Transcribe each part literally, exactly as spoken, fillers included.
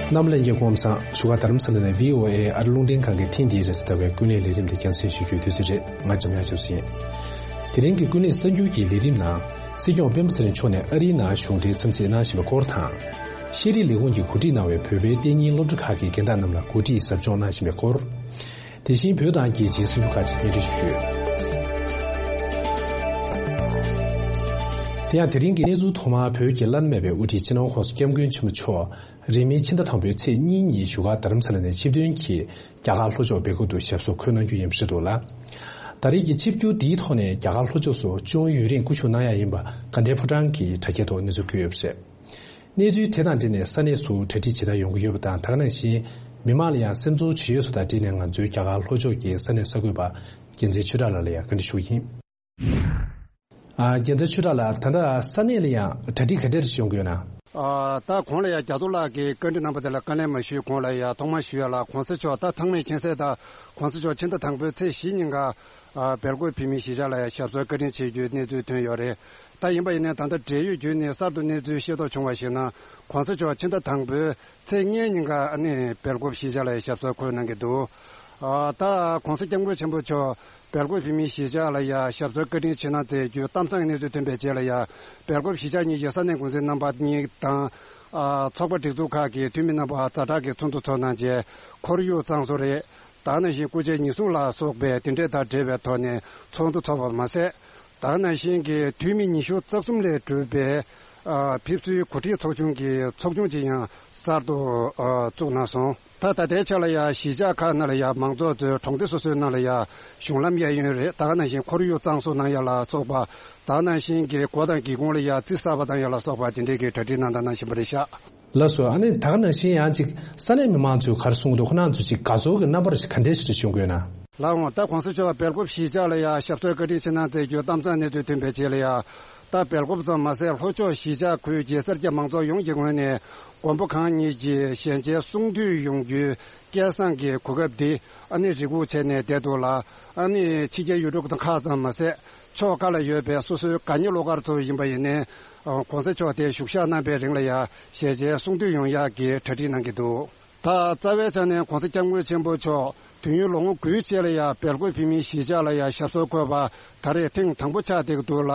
རྣམ་པ་ལྷན་རྒྱས་སྐུ་ཁམས་བཟང་། བཞུགས་སྒར་རྡ་རམ་ས་ལ་ནས་བྷི་ཨོ་ཨེ་ཨ་རི་རླུང་འཕྲིན་ཁང་གི་ཐེངས་འདིའི་རེས་གཟའ་ཟླ་བའི་ཀུན་གླེང་ལས་རིམ་དེ་རྒྱང་སྲིང་ཞུ་རྒྱུའི་དུས་ཚོད་རེད། ང་འཇམ་དབྱངས་ཆོས་སྐྱིད་ཡིན། དེ་རིང་གི་ཀུན་གླེང་གསར་འགྱུར་གྱི་ལས་རིམ་ནང་། སྲིད་སྐྱོང་སྤེན་པ་ཚེ་རིང་མཆོག་ནས་ཨ་རིའི་ནང་གཞུང་འབྲེལ་འཚམས་གཟིགས་གནང་བཞིན་པའི་སྐོར་དང་། ཤེས་རིག་ལས་ཁུངས་ཀྱིས་གོ་སྒྲིག་གནང་བའི་བོད་པའི་གཏན་ཉིན་སློབ་གྲྭ་ཁག་གི་རྒན་བདག་རྣམས་ལ་གོ་སྒྲིག་ཟབ་སྦྱོང་གནང་བཞིན་པའི་སྐོར། དེ་བཞིན་བོད་དང་རྒྱལ་སྤྱིའི་སྲིད་ཇུས་ཁག་ཅིག་སྙན་སྒྲོན་ཞུ་རྒྱུ། དེ་ཡང་དེ་རིང་གི་གནས་ཚུལ་ཐོག་མར་བོད་ཀྱི་བླ་ན་མེད་པའི་དབུ་ཁྲིད་སྤྱི་ནོར་༸གོང་ས་༸སྐྱབས་མགོན་ཆེན་པོ་མཆོག་རིང་མིན་ཕྱི་ཟླ་དང་པོའི་ཚེས་གཉིས་ཉིན་བཞུགས་སྒར་རྡ་རམ་ས་ལ་ནས་ཆིབས་ཐོན་གྱིས་རྒྱ་གར་ལྷོ་ཕྱོགས་སྦེལ་ཀོབ་ཏུ་ཞབས་སོར་འཁོད་གནང་རྒྱུ་ཡིན་པ་རེད་འདུག་ལ། ད་རེས་ཀྱི་ཆིབས་བསྒྱུར་འདིའི་ཐོག་ནས་རྒྱ་གར་ལྷོ་ཕྱོགས་སུ་ཅུང་ཡུན་རིང་སྐུ་བཞུགས་གནང་ཡ་ཡིན་པ་དགའ་ལྡན་ཕོ་བྲང་གི་དྲ་རྒྱའི་ཐོག་གནས་ཚུལ་བཀོད་ཡོད་པ་རེད། གནས་ཚུལ་དེ་དང་འབྲེལ་ནས་ས་གནས་སུ་གྲ་སྒྲིག་ཇི་ལྟར་ཡོང་གི་ཡོད་པ་དང་། ད་ག་ནང་བཞིན་མི་མང་ལ་ཡང་སེམས་ཚོར་ཇི་ཡོད་སོགས་དང་འབྲེལ་ནས་ང་ཚོའི་རྒྱ་གར་ལྷོ་ཕྱོགས་ཀྱི་ས་གནས་གསར་འགོད་པ་རྒྱལ་མཚན་ཆོས་གྲགས་ལགས་ལ་ཡང་བཀའ་འདྲི་ཞུ་གི་ཡིན། ཨ། རྒྱལ་མཚན་ཆོས་གྲགས་ལགས། ད་ལྟ་ས་གནས་ལ་ཡང་གྲ་སྒྲིག་ག་འདྲ་ཞིག་ཡོང་གི་ཡོད་ན། ཨ། ད་གོང་ལ་ཡང་རྒྱ་མཚོ་ལགས་ཀྱིས་བཀའ་འདྲི་གནང་པ་དེ་ལ་དཀའ་ལས་མ་ཞུས་གོང་ལ་ཡང་ཐོག་མར་ཞུ་ཡ་ལ། གོང་ས་མཆོག་ད་ཚང་མས་མཁྱེན་གསལ་ལྟར་གོང་ས་མཆོག་ཕྱི་ཟླ་དང་པོའི་ཚེས་བཞི་ཉིན་ཀ་ཨ། སྦེལ་ཀོབ་བོད་མིའི་གཞིས་ཆགས་ལ་ཡང་ཞབས་སོར་བཀའ་དྲིན་ཆེ་བརྗོད་གནས་ཚུལ་ཐོན་ཡོད་རེད། ད་ཡིན་པ་ཡིན་ནའི་ད་ལྟ་འབྲེལ་ཡོད་བརྒྱུད་ནས་གསར་དུ་གནས་ཚུལ་ཤེས་རྟོགས་བྱུང་བ་ཞིག་ན། གོང་ས་མཆོག་ཕྱི་ཟླ་དང་པོའི་ཚེས་ལྔའི་ཉིན་ཀ་ཨ་ནི་སྦེལ་ཀོབ་གཞིས་ཆགས་ལ་ཡང་ཞབས་སོར་འཁོད་གནང་གི་འདུག་ཨ། ད་གོང་ས་སྐྱབས་མགོན་ཆེན་པོ་མཆོག་སྦེལ་ཀོབ་བོད་མིའི་གཞིས་ཆགས་ལ་ཡང་ཞབས་སོར་བཀའ་དྲིན་ཆེ་གནང་མཛད་རྒྱུའི་གཏམ་བཟང་གནས་ཚུལ་ཐོན་པའི་རྗེས་ལ་ཡང་། སྦེལ་ཀོབ་གཞིས་ཆགས་གཉིས་ཀྱི་ས་གནས་འགོ་འཛིན་རྣམ་པ་གཉིས་དང་། ཨ། ཚོགས་པ་སྒྲིག་འཛུགས་ཁག་གི་འཐུས་མི་རྣམ་པ་ཛ་དྲག་གི་ཚོགས་འདུ་ཚོགས་གནང་རྗེས། ཁོར་ཡུག་གཙང་བཟོ་རེད། ད་ག་ནང་བཞིན་སྐུ་ཕྱྭའི་ཉེས་སྲུང་ལ་སོགས་པའི་དེ་འདྲས་དང་འབྲེལ་བའི་ཐོག་ནས་ཚོགས་འདུ་ཚོགས་པ་མ་ཟད། ད་ག་ནང་བཞིན་གྱི་འཐུས་མི་ཉི་ཤུ་རྩ་གསུམ་ལས་གྲུབ་པའི་ཨ། ཕེབས་བསུའི་གོ་སྒྲིག་ཚོགས་ཆུང་གི་ཚོགས་ཆུང་ཅིག་ཡང་གསར་དུ་ཨ། བཙུགས་གནང་སོང་། ད་ད་ལྟའི་ཆ་ལ་ཡང་གཞིས་ཆགས་ཁག་ནང་ལ་ཡང་མང་ཚོགས་ཚོས་གྲོང་སྡེ་སོ་སོའི་ནང་ལ་ཡང་གཞུང་ལམ་གཡས་གཡོན་རེད། ད་ག་ནང་བཞིན་ཁོར་ཡུག་གཙང་བཟོ་གནང་ཡ་ལ་སོགས་པ། ད་ག་ནང་བཞིན་གྱི་སྒོ་དང་སྒེའུ་ཁུང་ལ་ཡང་རྩི་གསར་པ་བཏང་ཡ་ལ་སོགས་པ་དེ་འདྲས་ཀྱི་གྲ་སྒྲིག་གནང་དང་གནང་བཞིན་པ་རེད་ཤག་ལགས་སོ། ཨ་ནི་ད་ག་ནང་བཞིན་ཡང་ཅིག་ས་གནས་མི་མང་ཚོས་ག་རེ་གསུངས་འདུག་ཁོ་རང་ཚོ་ཅིག་དགའ་ཚོར་གྱི་རྣམ་པ་རེ་ཞིག་ག་འདྲས་ཞིག་རེ་བྱུང་དགོས་ན། ལགས་འོང་། ད་གོང་ས་མཆོག་སྦེལ་ཀོབ་གཞིས་ཆགས་ལ་ཡང་ཞབས་སོར་བཀའ་དྲིན་ཆེ་གནང་མཛད་རྒྱུ་གཏམ་བཟང་གནས་ཚུལ་ཐོན་པའི་རྗེས་ལ་ཡང་། ད་སྦེལ་ཀོབ་ཙམ་མ་ཟད་ལྷོ་ཕྱོགས་གཞིས་ཆགས་ཁུལ་གྱི་སེར་སྐྱ་མང་ཚོགས་ཡོངས་ཀྱི་ངོས་ནས་མགོན་པོ་གང་ཉིད་ཀྱི་ཞལ་མཇལ་གསུང་བསྡུས་ཡོང་རྒྱུའི་སྐལ་བཟང་གི་གོ་སྐབས་འདི་ཨ་ནི་རེ་སྒུག་བྱས་ནས་བསྡད་འདུག་ལ། ཨ་ནི་ཕྱི་རྒྱལ་ཡུལ་གྲུ་ཁག་ཙམ་མ་ཟད། ཕྱོགས་ཁག་ལ་ཡོད་པའི་སོ་སོའི་དགའ་ཉེ་བློ་དཀར་ཚོ་ཡིན་པ་ཡིན་ནའི། ཨ། གོང་ས་མཆོག་དེ་བཞུགས་ཞག་གནང་པའི་རིང་ལ་ཡང་ཞལ་མཇལ་གསུང་བསྡུས་ཡོང་ཡག་གི་གྲ་སྒྲིག་གནང་གི་འདུག་ད་རྩ་བའི་ཆ་ནས་གོང་ས་སྐྱབས་མགོན་ཆེན་པོ་མཆོག་དུས་ཡུན་ལོ་ངོ་དགུའི་རྗེས་ལ་ཡང་སྦེལ་ཀོབ་བོད་མིའི་གཞིས་ཆགས་ལ་ཡང་ཞབས་སོར་འཁོད་པ་ད་རེས་ཐེངས་དང་པོ་ཆགས་བསྡད་ཀྱི་འདུག་ལ།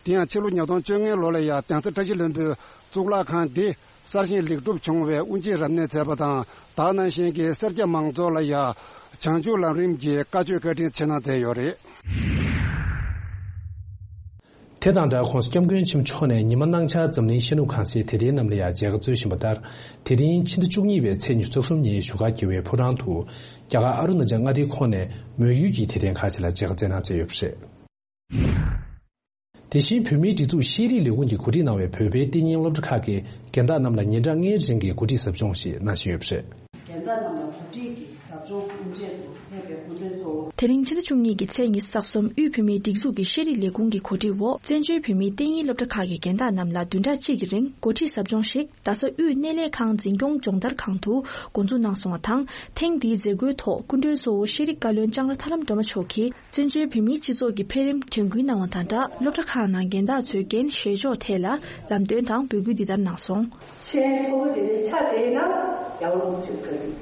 དེ་ཡང་ཕྱི་ལོ་ཉིས་སྟོང་བཅོ་ལྔའི་ལོ་ལ་ཡང་གདན་ས་བཀྲ་ཤིས་ལྷུན་པོའི་གཙུག་ལག་ཁང་འདི་གསར་བཞེངས་ལེགས་གྲུབ་བྱུང་བའི་དབུ་འབྱེད་རབ་གནས་མཛད་པ་དང་། ད་ག་ནང་བཞིན་གྱི་སེར་སྐྱ་མང་ཚོགས་ལ་ཡང་བྱང་ཆུབ་ལམ་རིམ་གྱི་བཀའ་ཆོས་བཀའ་དྲིན་ཆེ་གནང་མཛད་ཡོད་རེད། དེ་དང་སྦྲགས་༸གོང་ས་༸སྐྱབས་མགོན་ཆེན་པོ་མཆོག་ནས་ཉི་མ་གནངས་ཆར་འཛམ་གླིང་ཤར་ནུབ་གང་སའི་དད་ལྡན་རྣམས་ལ་ཡང་མཇལ་ཁ་སྩོལ་བཞིན་པ་ལྟར། དེ་རིང་ཕྱི་ཟླ་བཅུ་གཉིས་པའི་ཚེས་ཉི་ཤུ་རྩ་གསུམ་ཉིན་བཞུགས་སྒར་རྒྱལ་བའི་ཕོ་བྲང་དུ། རྒྱ་གར་ཨ་རུ་ན་ཅལ་མངའ་སྡེའི་ཁོངས་ནས་མོན་ཡུལ་གྱི་དད་ལྡན་ཁག་ཅིག་ལ་མཇལ་ཁ་སྩལ་གནང་མཛད་ཡོད་པ་རེད། དེ་བཞིན་བོད་མིའི་སྒྲིག་འཛུགས་ཤེས་རིག་ལས་ཁུངས་ཀྱིས་གོ་སྒྲིག་གནང་བའི་བོད་པའི་གཏན་ཉིན་སློབ་གྲྭ་ཁག་གི་རྒན་བདག་རྣམས་ལ་ཉིན་གྲངས་ལྔའི་རིང་གི་གོ་སྒྲིག་ཟབ་སྦྱོང་ཞིག་གནང་བཞིན་ཡོད་པ་རེད། རྒན་བདག་རྣམས་ལ་གོ་སྒྲིག་གི་ཟབ་སྦྱོང་དབུ་འབྱེད་དུ་ཕེབས་པའི་སྐུ་མགྲོན་གཙོ་བོ། དེ་རིང་ཕྱི་ཟླ་བཅུ་གཉིས་ཀྱི་ཚེས་ཉི་ཤུ་རྩ་གསུམ་དབུས་བོད་མིའི་སྒྲིག་འཛུགས་ཀྱི་ཤེས་རིག་ལས་ཁུངས་ཀྱི་གོ་སྒྲིག་འོག་བཙན་བྱོལ་བོད་མིའི་གཏན་ཉིན་སློབ་གྲྭ་ཁག་གི་རྒན་བདག་རྣམས་ལ་བདུན་ཕྲག་གཅིག་གི་རིང་གོ་སྒྲིག་ཟབ་སྦྱོང་ཞིག་རྡ་ས་དབུས་སྣེ་ལེན་ཁང་འཛིན་སྐྱོང་སྦྱོང་བརྡར་ཁང་དུ་འགོ་འཛུགས་གནང་སོང་བ་དང་། ཐེངས་འདིའི་མཛད་སྒོའི་ཐོག་སྐུ་མགྲོན་གཙོ་བོ་ཤེས་རིག་བཀའ་བློན་ལྕང་ར་ཐར་ལམ་སྒྲོལ་མ་མཆོག་གིས། བཙན་བྱོལ་བོད་མིའི་སྤྱི་ཚོགས་ཀྱི་འཕེལ་རིམ་དྲན་སྐུལ་གནང་བ་དང་སྦྲགས། སློབ་གྲྭ་ཁག་ནང་རྒན་བདག་ཚོའི་འགན་བཞེས་ཕྱོགས་ཐད་ལ་ལམ་སྟོན་དང་འབོད་སྐུལ་འདི་ལྟར་གནང་སོང་། ཤེས་ཡོན་མཐོ་པོ་དེ་འདྲའི་ཆ་དེ་ཡིན་ན་རྒྱལ་བ་རིན་པོ་ཆེ་བཀའ་དྲིན་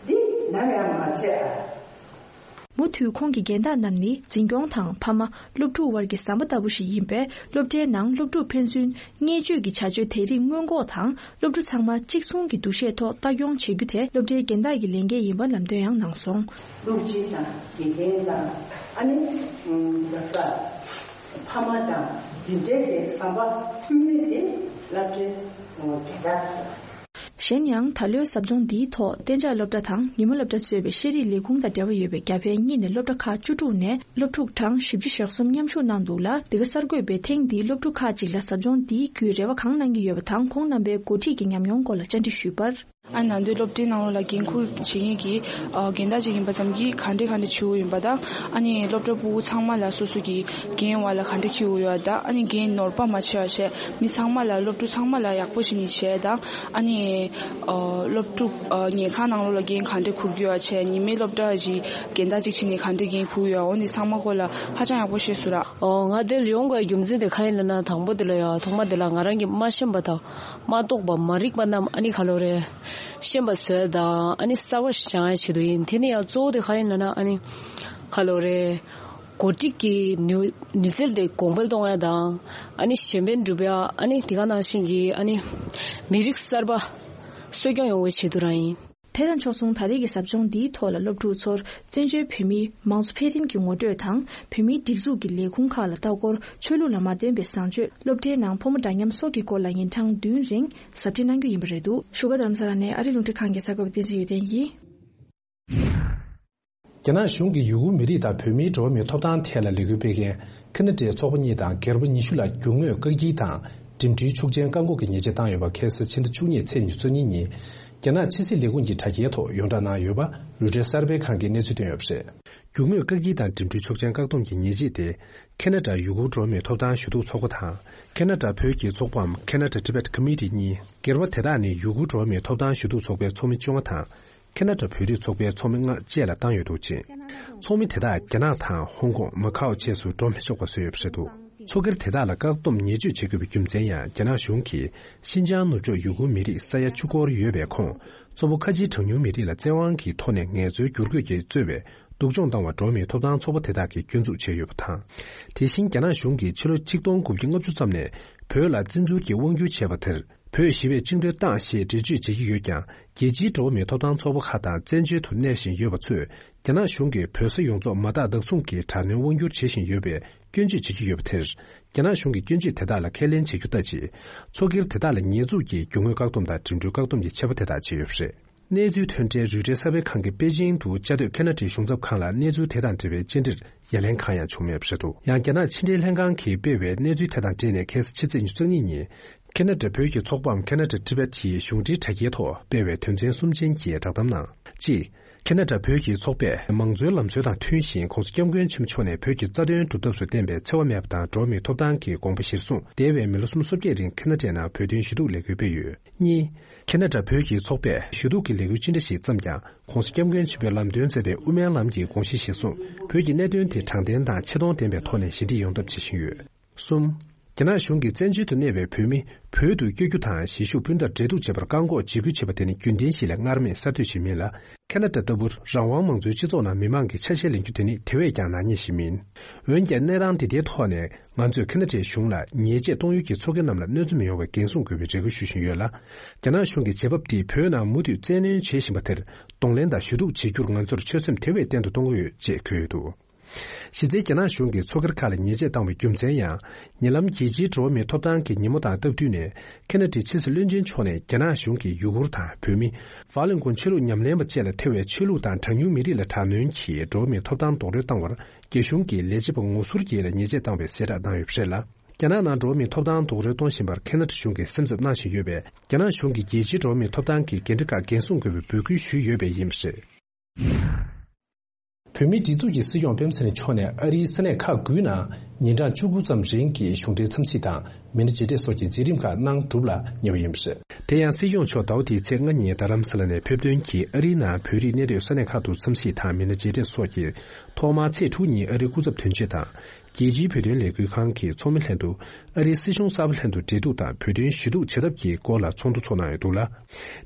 འདི་ནམ་ཡང་མ་ཆད་ཨ། མུ་མཐུད་ཁོང་གིས་རྒན་བདག་རྣམས་ནི་འཛིན་སྐྱོང་དང་ཕ་མ། སློབ་ཕྲུག་དབར་གྱི་ཟམ་པ་ལྟ་བུ་ཞིག་ཡིན་པས། སློབ་གྲྭའི་ནང་སློབ་ཕྲུག་ཕན་ཚུན་བརྙས་བཅོས་ཀྱི་བྱ་སྤྱོད་དེ་རིགས་སྔོན་འགོག་དང་། སློབ་ཕྲུག་ཚང་མ་གཅིག་མཚུངས་ཀྱི་འདུ་ཤེས་ཐོག་ལྟ་སྐྱོང་བྱེད་རྒྱུ་དེ་སློབ་གྲྭའི་རྒན་བདག་གི་ལས་འགན་ཡིན་པ་ལམ་སྟོན་ཡང་གནང་སོང་། སློབ་སྤྱི་དང་དགེ་རྒན་དང་ཨ་ནི་ཡོད་ས་ཕ་མ་དང་དེ་འདྲའི་གི་ཟམ་པ་མཐུན་མིན་དེ་སློབ་གྲྭའི་རྒན་བདག་ཚོ། གཞན་ཡང་ད་ལོའི་ཟབ་སྦྱོང་འདིའི་ཐོག་གཏན་འཇགས་སློབ་གྲྭ་དང་ཉིན་མོ་སློབ་གྲྭ་གཙོས་པའི་ཤེས་རིག་ལས་ཁུངས་དང་འབྲེལ་བ་ཡོད་པའི་རྒྱ་བལ་གཉིས་ནས་སློབ་གྲྭ་ཁག་བཅུ་དྲུག་ནས་སློབ་ཕྲུག་གྲངས་བཞི་བཅུ་ཞེ་གསུམ་མཉམ་ཞུགས་གནང་འདུག་ལ། འདི་ག་གསར་འགོད་པས་ཐེངས་འདིའི་སློབ་ཕྲུག་ཁག་ཅིག་ལ་ཟབ་སྦྱོང་འདིའི་བརྒྱུད་རེ་བ་གང་གནང་གི་ཡོད་པ་དང་། ཁོང་རྣམ་པའི་འགོ་ཁྲིད་ཀྱི་ཉམས་མྱོང་སྐོར་ལ་བཅར་འདྲི་ཞུས་པར། ཨ་ནི་ནང་དོན་སློབ་གྲྭའི་ནང་ལོགས་ལ་འགན་འཁུར་བྱེད་མཁན་གྱི་ཨ་རྒན་བདག་ཅིག་ཡིན་པ་ཙམ་གྱིས་ག་འདྲས་ག་འདྲས་བྱེད་དགོས་ཡིན་པ་དང་། ཨ་ནི་སློབ་གྲྭ་ཕྲུ་གུ་ཚང་མ་ལ་སོ་སོ་གི་འགན་བ་ལ་ག་འདྲས་འཁྱེར་དགོས་ཡོད་དང་། ཨ་ནི་འགན་ནོར་བ་མ་བྱེད་པ་བྱས། མི་ཚང་མ་ལ་སློབ་ཕྲུག་ཚང་མ་ལ་ཡག་པོ་བྱས་ནས་བྱས་དང་། ཨ་ནི་ཨ་སློབ་ཕྲུག་ཨ་ཉལ་ཁང་ནང་ལོགས་ལ་འགན་ག་འདྲས་འཁུར་དགོས་ཡོད་བྱས། ཉི་མའི་སློབ་གྲྭ་གི་རྒན་བདག་ཅིག་བྱས་ནས་ག་འདྲས་འགན་འཁུར་ཡོད། འོ་འདི་ཚང་མ་སྐོར་ལ་ཧ་ཅང་ཡག་པོ་ཤེས་སོང་ར། ཨོ་ང་འདིར་ཡོང་དགོས་རྒྱུ་མཚན་དེ་ག་ཡིན་ལབ་ན། དང་པོ་དེ་ལ་ཡ་ཐོག་མ་དེ་ལ་ང་རང་གིས་མ་ཤེས་པ་དང་མ་རྟོགས་པ་མ་རིག་པ་རྣམས་ཨ་ནི་ག་ལོ་རེད། ཤེས་པ་བཟོས་དང་ཨ་ནི་གསར་པ་ཞིག་སྦྱང་ཡ་ཆེད་དུ་ཡིན། དེ་ནི་ཡང་གཙོ་བོ་དེ་ག་ཡིན་ལབ་ན། ཨ་ནི་ག་ལོ་རེད། འགོ་ཁྲིད་ཀྱི་ནུས་ནུས་རྩལ་དེ་གོང་འཕེལ་གཏོང་ཡ་དང་། ཨ་ནི་གཞན་ཕན་སྒྲུབ་ཡ། ཨ་ནི་དེ་ག་ནང་བཞིན་གྱི་ཨ་ནི་མི་རིགས་གསར་པ་གསོ་སྐྱོང་ཡོང་བའི་ཆེད་དུ་རང་ཡིན། དེ་དང་ཕྱོགས་མཚུངས། ད་རེས་ཀྱི་ཟབ་སྦྱོང་འདིའི་ཐོག་ལ་སློབ་ཕྲུག་ཚོར་བཙན་བྱོལ་བོད་མིའི་མང་གཙོ་འཕེལ་རིམ་གྱི་ངོ་སྤྲོད་དང་། བོད་མིའི་སྒྲིག་འཛུགས་ཀྱི་ལས་ཁུངས་ཁག་ལ་ལྟ་སྐོར། ཆོས་ལུགས་ལ་མ་བརྟེན་པའི་བཟང་སྤྱོད། སློབ་གྲྭའི་ནང་ཕོ་མོ་འདྲ་མཉམ་སོགས་ཀྱི་སྐོར་ལ་ཉིན་གྲངས་བདུན་རིང་ཟབ་ཁྲིད་གནང་རྒྱུ་ཡིན་པ་རེད་འདུག་བཞུགས་སྒར་རྡ་རམ་ས་ལ་ནས་ཨ་རིའི་རླུང་འཕྲིན་ཁང་གི་གསར་འགོད་པ་བསྟན་འཛིན་ཡོན་ཏན་ཡིན། རྒྱ་ནག་གཞུང་གིས་ཡུ་གུར་མི་རིགས་དང་བོད་མིའི་འགྲོ་བ་མིའི་ཐོབ་ཐང་ཐད་ལ་ལས་འགུལ་སྤེལ་མཁན་ཁ་ན་ཌའི་ཚོགས་པ་གཉིས་དང་སྒེར་པ་ཉི་ཤུ་ལ་རྒྱུ་དངོས་བཀག་སྐྱིལ་དང་འགྲིམ་འགྲུལ་ཆོག་མཆན་བཀག་འགོག་གི་ཉེས་ཆད་བཏང་ཡོད་པ་ཁ་སང་ཕྱི་ཟླ་བཅུ་གཉིས་ཚེས་ཉེར་གཉིས་ཉིན། རྒྱ་ནག་ཕྱི་སྲིད་ལས་ཁུངས་ཀྱི་དྲ་རྒྱའི་ཐོག་ཡོངས་བསྒྲགས་གནང་ཡོད་པ་རོའི་ཊར་གསར་སྤེལ་ཁང་གིས་གནས་ཚུལ་བཏོན་ཡོད་པ་རེད། རྒྱུ་དངོས་བཀག་སྐྱིལ་དང་འགྲིམ་འགྲུལ་ཆོག་མཆན་བཀག་སྡོམ་གྱི་ཉེས་ཆད་དེ། ཁ་ན་ཌ་ཡུ་གུར་འགྲོ་བ་མིའི་ཐོབ་ཐང་ཞུ་གཏུག་ཚོགས་པ་དང་། ཁ་ན་ཌ་བོད་ཀྱི་ཚོགས་པའམ་Canada Tibet Committee གཉིས། སྒེར་པ་དེ་དག་ནི་ཡུ་གུར་འགྲོ་བ་མིའི་ཐོབ་ཐང་ཞུ་གཏུག་ཚོགས་པའི་ཚོགས་མི་བཅོ་ལྔ་དང་། ཁ་ན་ཌ་བོད་རིགས་ཚོགས་པའི་ཚོགས་མི་ལྔ་བཅས་ལ་བཏང་ཡོད་འདུག་ཅིང་། ཚོགས་མི་དེ་དག་རྒྱ་ནག་དང་ཧོང་ཀོང་། མ་ཁའོ་བཅས་སུ་འགྲོ་མི་ཆོག་པ་བཟོས་ཡོད་པ་རེད་འདུག་ཚོགས་སྒེར་དེ་དག་ལ་བཀག་སྡོམ་ཉེས་གཅོད་བྱེད་དགོས་པའི་རྒྱུ་མཚན་ཡང་། རྒྱ་ནག་གཞུང་གིས་ཤིན་ཅང་ནུབ་ཕྱོགས་ཡུ་གུར་མི་རིགས་ས་ཡ་བཅུ་སྐོར་ཡོད་པའི་ཁོངས། གཙོ་བོ་ཁ་ཆེའི་གྲངས་ཉུང་མི་རིགས་ལ་བཙན་དབང་གི་ཐོག་ནས་ངལ་རྩོལ་བསྒྱུར་བཀོད་ཀྱིས་གཙོས་པའི་སྡུག་སྦྱོང་བཏང་བར་འགྲོ་བ་མིའི་ཐོབ་ཐང་ཚོགས་པ་དེ་དག་གིས་སྐྱོན་འཛུགས་བྱས་ཡོད་པ་དང་། དེ་བཞིན་རྒྱ་ནག་གཞུང་གིས་ཕྱི་ལོ་ཆིག་སྟོང་དགུ་བརྒྱ་ལྔ་བཅུ་ཙམ་ནས་བོད་ལ་བཙན་འཛུལ་གྱིས་དབང་བསྒྱུར་བྱས་པ་དེར། བོད་ཞི་བས་བཅིངས་འགྲོལ་བཏང་ཞེས་འགྲེལ་བརྗོད་བྱེད་ཀྱི་ཡོད་ཀྱང་། རྒྱལ་སྤྱིའི་འགྲོ་བ་མིའི་ཐོབ་ཐང་ཚོགས་པ་ཁག་དང་བཙན་བྱོལ་དུ་གནས་བཞིན་ཡོད་པ་ཚོས། རྒྱ་ནག་གཞུང་གིས་བོད་ས་ཡོངས་རྫོགས་མ་དག་བདག་བཟུང་གིས་དྲག་གནོན་དབང་བསྒྱུར་བྱེད་བཞིན་ཡོད་པའི་སྐྱོན་བརྗོད་བྱེད་ཀྱི་ཡོད་པ་དེར། རྒྱ་ནག་གཞུང་གིས་སྐྱོན་བརྗོད་དེ་དག་ལ་ཁས་ལེན་བྱེད་རྒྱུ་ལྟ་ཅི། ཚོགས་སྒེར་དེ་དག་ལ་ཉེས་འཛུགས་ཀྱིས་རྒྱུ་དངོས་བཀག་སྡོམ་དང་འགྲིམ་འགྲུལ་བཀག་སྡོམ་གྱི་ཆད་པ་དེ་དག་བཅད་ཡོད་པ་རེད། གནས་ཚུལ་ཐོན་འཕྲལ་རོའི་ཊར་གསར་སྤེལ་ཁང་གིས་པེ་ཅིང་དུ་བཅའ་སྡོད་ཁ་ན་ཌའི་གཞུང་ཚབ་ཁང་ལ་གནས་ཚུལ་དེ་དང་འབྲེལ་བའི་བཅར་འདྲིར་ཡ་ལན་གང་ཡང་བྱུང་མེད་པ་རེད་འདུག་ཡང་རྒྱ་ནག་ཕྱི་འབྲེལ་ལྷན་ཁང་གིས་སྤེལ་བའི་གནས་ཚུལ་དེ་དང་འབྲེལ་ནས། ཁ་སང་ཕྱི་ཚེས་ཉེར་གཉིས་ཉིན། ཁ་ན་ཌ་བོད་ཀྱི་ཚོགས་པའམ་Canada Tibet ཡི་གཞུང་འབྲེལ་དྲ་རྒྱའི་ཐོག་སྤེལ་བའི་དོན་ཚན་གསུམ་ཅན་གྱི་བསྒྲགས་གཏམ་ནང་། གཅིག་ཁ་ན་ཌ་བོད་ཀྱི་ཚོགས་པས་མང་གཙོའི་ལམ་སྲོལ་དང་མཐུན་ཞིང་། ྋགོང་ས་ྋསྐྱབས་མགོན་ཆེན་པོ་མཆོག་ནས་བོད་ཀྱི་རྩ་དོན་སྒྲུབ་ཐབས་སུ་བསྟན་པའི་འཚེ་བ་མེད་པ་དང་འགྲོ་བ་མིའི་ཐོབ་ཐང་གི་དགོངས་པ་གཞིར་བཟུང་། འདས་པའི་མི་ལོ་སུམ་ཅུ་སོ་བརྒྱད་རིང་ཁ་ན་ཌའི་ནང་བོད་དོན་ཞུ་གཏུག་ལས་འགུལ་སྤེལ་ཡོད། གཉིས། ཁ་ན་ཌ་བོད་ཀྱི་ཚོགས་པས་ཞུ་གཏུག་གི་ལས་འགུལ་ཅི་འདྲ་ཞིག་བརྩམས་ཀྱང་། ྋགོང་ས་ྋསྐྱབས་མགོན་ཆེན་པོས་ལམ་སྟོན་མཛད་པའི་དབུ་མའི་ལམ་གྱི་དགོངས་གཞི་གཞིར་བཟུང་། བོད་ཀྱི་གནད་དོན་དེ་དྲང་བདེན་དང་ཆེ་མཐོང་ལྡན་པའི་ཐོག་ནས་ཞི་འགྲིག་ཡོང་ཐབས་བྱེད་བཞིན་ཡོད། གསུམ། རྒྱ་ནག་གཞུང་གིས་བཙན་བྱོལ་དུ་གནས་པའི་བོད་མི་བོད་དུ་བསྐྱོད་རྒྱུ་དང་གཞིས་བཞུགས་སྤུན་ཟླར་འབྲེལ་གཏུག་བྱེད་པར་བཀག་འགོག་བྱེད་ཁུལ་བྱེད་པ་དེ་ནི་རྒྱུན་ལྡན་ཞིག་ལས་སྔར་མེད་གསར་གཏོད་ཞིག་མིན་ལ། ཁ་ན་ཌ་ལྟ་བུར་རང་དབང་མང་གཙོའི་སྤྱི་ཚོགས་ནང་མི་མང་གི་ཆ་ཤས་ལེན་རྒྱུ་དེ་ནི་དེ་བས་ཀྱང་ནག་ཉེས་ཤིག་མིན། འོན་ཀྱང་གནས་སྟངས་འདི་ལྟའི་ཐོག་ནས་ང་ཚོས་ཁ་ན་ཌའི་གཞུང་ལ་ཉེས་ཆད་གཏོང་ཡུལ་གྱི་ཚོགས་སྒེར་རྣམས་ལ་གནོད་འཚེ་མི་ཡོང་བའི་འགན་སྲུང་དགོས་པའི་རེ་སྐུལ་ཞུ་བཞིན་ཡོད་ལ། རྒྱ་ནག་གཞུང་གིས་བྱེད་བབ་འདིས་བོད་ནང་མུ་མཐུད་བཙན་གནོན་བྱེད་བཞིན་པ་དེར་གདོང་ལེན་དང་ཞུ་གཏུག་བྱེད་རྒྱུར་ང་ཚོར་ཆོད་སེམས་དེ་བས་བརྟན་དུ་གཏོང་གི་ཡོད་ཅེས་འཁོད་ཡོད་འདུག་གཞི་རྩའི་རྒྱ་ནག་གཞུང་གིས་ཚོགས་སྒེར་ཁག་ལ་ཉེས་ཆད་བཏང་བའི་རྒྱུ་མཚན་ཡང་། ཉེ་ལམ་རྒྱལ་སྤྱིའི་འགྲོ་བ་མིའི་ཐོབ་ཐང་གི་ཉིན་མོ་དང་སྟབས་བསྟུན་ནས། ཁ་ན་ཌའི་ཕྱི་སྲིད་བློན་ཆེན་མཆོག་ནས་རྒྱ་ནག་གཞུང་གིས་ཡུ་གུར་དང་བོད་མི། ཧྥ་ལིན་ཀོན་ཆོས་ལུགས་ཉམས་ལེན་པ་བཅས་ལ་ཐེ་བའི་ཆོས་ལུགས་དང་གྲངས་ཉུང་མི་རིགས་ལ་དྲག་གནོན་གྱིས་འགྲོ་བ་མིའི་ཐོབ་ཐང་རྡོག་རོལ་བཏང་བར། རྒྱ་གཞུང་གིས་ལས་བྱེད་པ་ངོ་ཟུར་གྱིས་ལ་ཉེས་ཆད་བཏང་བའི་གསལ་བསྒྲགས་གནང་ཡོད་པ་རེད་ལ། རྒྱ་ནག་ནང་འགྲོ་བ་མིའི་ཐོབ་ཐང་རྡོག་རོལ་གཏོང་བཞིན་པར་ཁ་ན་ཌ་གཞུང་གིས་སེམས་འཚབ་གནང་བཞིན་ཡོད་པས། རྒྱ་ནག་གཞུང་གིས་རྒྱལ་སྤྱིའི་འགྲོ་བ་མིའི་ཐོབ་ཐང་གི་འགན་འཁྲི་ཁག་འགན་སྲུང་དགོས་པའི་འབོད་སྐུལ་ཞུས་ཡོད་པས་ཡིན་པ་རེད། བོད་མིའི་སྒྲིག་འཛུགས་ཀྱི་སྲིད་སྐྱོང་སྤེན་པ་ཚེ་རིང་མཆོག་ནས་ཨ་རིའི་ས་གནས་ཁག་དགུའི་ནང་ཉིན་གྲངས་བཅུ་དགུ་ཙམ་རིང་གི་གཞུང་འབྲེལ་འཚམས་གཟིགས་དང་མི་སྣ་མཇལ་འཕྲད་སོགས་ཀྱི་མཛད་རིམ་ཁག་གནང་གྲུབ་ལ་ཉེ་བ་ཡིན་པ་རེད། དེ་ཡང་སྲིད་སྐྱོང་མཆོག་ཟླ་བ་འདིའི་ཚེས་ལྔ་ཉིན་རྡ་རམ་ས་ལ་ནས་ཕེབས་ཐོན་གྱིས་ཨ་རིའི་ནང་བོད་རིགས་གནས་སྡོད་ས་གནས་ཁག་ཏུ་འཚམས་གཟིགས་དང་མི་སྣ་མཇལ་འཕྲད་སོགས་ཀྱིས། ཐོག་མར་ཚེས་དྲུག་ཉིན་ཨ་རིའི་སྐུ་ཚབ་དོན་གཅོད་དང་། རྒྱལ་སྤྱིའི་བོད་དོན་ལས་འགུལ་ཁང་གི་ཚོགས་མི་ལྷན་དུ། ཨ་རིའི་སྲིད་གཞུང་གསར་པ་ལྷན་དུ་འབྲེལ་གཏུག་དང་བོད་དོན་ཞུ་གཏུག་བྱེད་ཐབས་ཀྱི་སྐོར་ལ་ཚོགས་འདུ་ཚོགས་གནང་ཡོད་འདུག་ལ།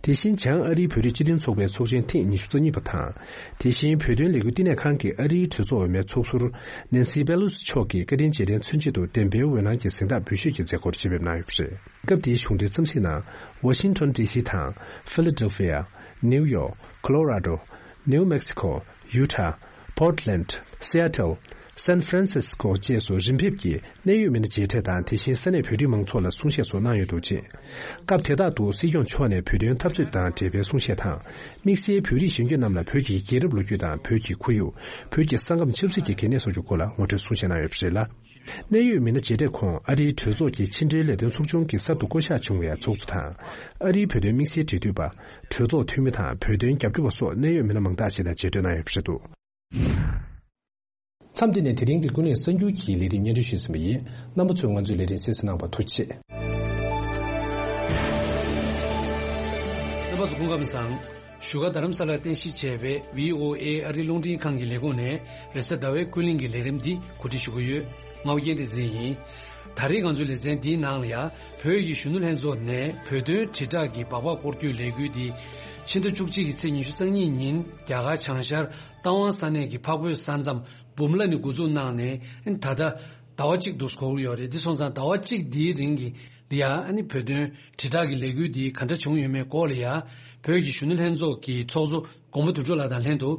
དེ་བཞིན་བྱང་ཨ་རིའི་བོད་རིགས་སྤྱི་མཐུན་ཚོགས་པའི་ཚོགས་ཆེན་ཐེངས་ཉི་ཤུ་རྩ་གཉིས་པ་དང་། དེ་བཞིན་བོད་དོན་ལས་འགུལ་བསྟི་གནས་ཁང་གི་ཨ་རིའི་གྲོས་ཚོགས་འོས་མའི་ཚོགས་ཟུར་ནན་སི་པེ་ལོ་སི་མཆོག་གིས་བཀའ་དྲིན་རྗེས་དྲན་མཚོན་ཆེད་དུ་བདེན་པའི་འོད་སྣང་གི་གཟེངས་རྟགས་འབུལ་ཞུས་ཀྱི་མཛད་སྒོར་ཆེད་ཕེབས་གནང་ཡོད་པ་རེད། སྐབས་དེའི་གཞུང་འབྲེལ་འཚམས་གཟིགས་ནང་། ཝ་ཤིང་ཊོན་ཌི་སི་དང་། ཧྥི་ལ་ཌེལ་ཕི་ཡ། ནིའུ་ཡོག་ཁོ་ལོ་ར་ཌོ། ནིའུ་མེག་སི་ཁོ། ཡུ་ཊ། པོར་ཊི་ལེན་ཌི། སི་ཨེ་ཊལ། སན་ཧྥ་རན་སིས་ཀོ་བཅས་སུ་རིན་ཕེབས་ཀྱིས་གནད་ཡོད་མི་སྣ་མཇལ་འཕྲད་དང་། དེ་བཞིན་ས་གནས་བོད་རིགས་མང་ཚོགས་ལ་གསུང་བཤད་སོགས་གནང་ཡོད་འདུག་ཅིང་། སྐབས་དེ་དག་ཏུ་སྲིད་སྐྱོང་མཆོག་ནས་བོད་དོན་འཐབ་རྩོད་དང་འབྲེལ་བའི་གསུང་བཤད་དང་། དམིགས་བསལ་བོད་རིགས་གཞོན་སྐྱེས་རྣམས་ལ་བོད་ཀྱི་རྒྱལ་རབས་ལོ་རྒྱུས་དང་བོད་ཀྱི་ཁོར་ཡུག་བོད་ཀྱི་ས་ཁམས་ཆབ་སྲིད་ཀྱི་གལ་གནད་སོགས་ཀྱི་སྐོར་ལ་ངོ་སྤྲོད་གསུང་བཤད་གནང་ཡོད་པ་རེད་ལ། གནད་ཡོད་མི་སྣ་མཇལ་འཕྲད་ཁོངས་ཨ་རིའི་གྲོས་ཚོགས་ཀྱི་ཕྱི་འབྲེལ་ལས་དོན་ཚོགས་ཆུང་གི་གསར་དུ་བསྐོ་གཞག་བྱུང་བའི་ཚོགས་གཙོ་དང་། ཨ་རིའི་བོད་དོན་དམིགས་བསལ་འབྲེལ་མཐུད་པ། གྲོས་ཚོགས་འཐུས་མི་དང་བོད་དོན་རྒྱབ་སྐྱོར་བ་སོགས་གནད་ཡོད་མི་སྣ་མང་དག་ཞིག་དང་མཇལ་འཕྲད་གནང་ཡོད་པ་རེད་འདུག་མཚམས་འདི་ནས་དེ་རིང་གི་ཀུན་གླེང་གསར་འགྱུར་གྱི་ལས་རིམ་སྙན་སྒྲོན་ཞུས་ཟིན་པ་ཡིན། རྣམ་པ་ཚོས་ང་ཚོའི་ལས་རིམ་གསན་གཟིགས་གནང་བར་ཐུགས་རྗེ་ཆེ། རྣམ་པ་ཚོ་སྐུ་ཁམས་བཟང་། བཞུགས་སྒར་རྡ་རམ་ས་ལར་རྟེན་གཞི་བྱས་པའི་བྷི་ཨོ་ཨེ་ཨ་རིའི་རླུང་འཕྲིན་ཁང་གི་ལས་ཁུངས་ནས་རེས་གཟའ་ཟླ་བའི་ཀུན་གླེང་གི་ལས་རིམ་འདི་གོ་སྒྲིག་ཞུ་གི་ཡོད། ང་ཨོ་རྒྱན་བསྟན་འཛིན་ཡིན། ད་རེས་ང་ཚོའི་ལེ་ཚན་འདིའི་ནང་ལ་ཡང་བོད་ཀྱི་གཞོན་ནུ་ལྷན་ཚོགས་ནས་བོད་དོན་དྲིལ་བསྒྲགས་ཀྱི་སྦག་སྦག་སྐོར་སྐྱོད་ལས་འགུལ་འདི་ཕྱི་ཟླ་བཅུ་གཅིག་གི་ཚེས་ཉི་ཤུ་རྩ་གཉིས་ཉིན་རྒྱ་གར་བྱང་ཤར་རྟ་དབང་ས་གནས་ཀྱི་འཕགས་བོད་ས་མཚམས་འབུམ་ལ་ནས་འགོ་འཛུགས་གནང་ནས་ད་ལྟ་ཟླ་བ་གཅིག་འདུག་འགོར་ཡོད་རེད། འདི་སོང་ཙང་ཟླ་བ་གཅིག་འདིའི་རིང་གི་འདི་ཡང་ཨ་ནི་བོད་དོན་དྲིལ་བསྒྲགས་ཀྱི་ལས་འགུལ་འདི་ག་འདྲ་བྱུང་ཡོད་མེད་སྐོར་ལ་ཡང་བོད་ཀྱི་གཞོན་ནུ་ལྷན་ཚོགས་ཀྱི་ཚོགས་གཙོ་མགོན་པོ་དོན་གྲུབ་ལགས་དང་ལྷན་དུ་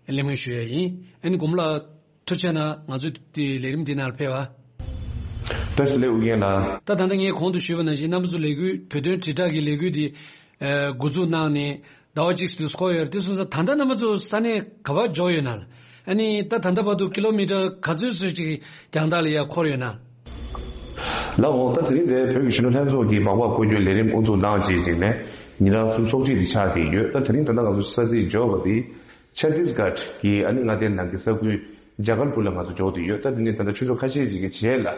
གླེང་མོལ་ཞུ་ཡས་ཡིན། ཨ་ནི་མགོན་པོ་ལགས་ཐུགས་རྗེ་གནང་། ང་ཚོའི་འདི་ལས་རིམ་འདི་ནང་ལ་ཕེབས་པ། བཀྲ་ཤིས་བདེ་ལེགས་ཨོ་རྒྱན་ལགས། ད་ད་ལྟ་ངས་གོང་དུ་ཞུས་པ་ནང་བཞིན་རྣམ་པ་ཚོ་ལས་འགུལ་བོད་དོན་དྲིལ་བསྒྲགས་ཀྱི་ལས་འགུལ་འདི་ཨ་འགོ་འཛུགས་གནང་ནས་ཟླ་བ་གཅིག་ཙམ་འགོར་ཡོད་རེད། དེ་སོང་ཙང་ད་ལྟ་རྣམ་པ་ཚོ་ས་གནས་ག་པར་འབྱོར་ཡོད་ན། ཨ་ནི་ད་ད་ལྟ་བར་དུ་ཀི་ལོ་མི་ཊར་ག་ཚོད་ཙམ་ཅིག་རྒྱང་ཐག་ལ་ཡར་འཁོར་ཡོད་ན། ལགས་འོང་། ད་དེ་རིང་འདིར་བོད་ཀྱི་གཞོན་ནུ་ལྷན་ཚོགས་ཀྱིས་སྦག་སྦག་སྐོར་སྐྱོད་ལས་རིམ་དབུ་འཛུགས་གནང་རྗེས་ཅིག་ནས་ཉིན་རང་གསུམ་ཚོགས་ཁྲིད་དེ་ཆགས་བསྡད་ཡོད། ད་དེ་རིང་ད་ལྟ་ང་ཚོ་ས་ཚིགས་འབྱོར་བ་དེ་ཆ་ཏིས་གྷར་གྱི་ཨ་ནི་མངའ་སྡེ་ནང་གི་ས་ཁུལ་ཇ་གལ་པུར་ལ་ང་ཚོ་འབྱོར་བསྡད་ཡོད། ད་དེ་ནས་ད་ལྟ་ཆུ་ཚོད་ཁ་ཤས་ཤིག་གི་རྗེས་ལ་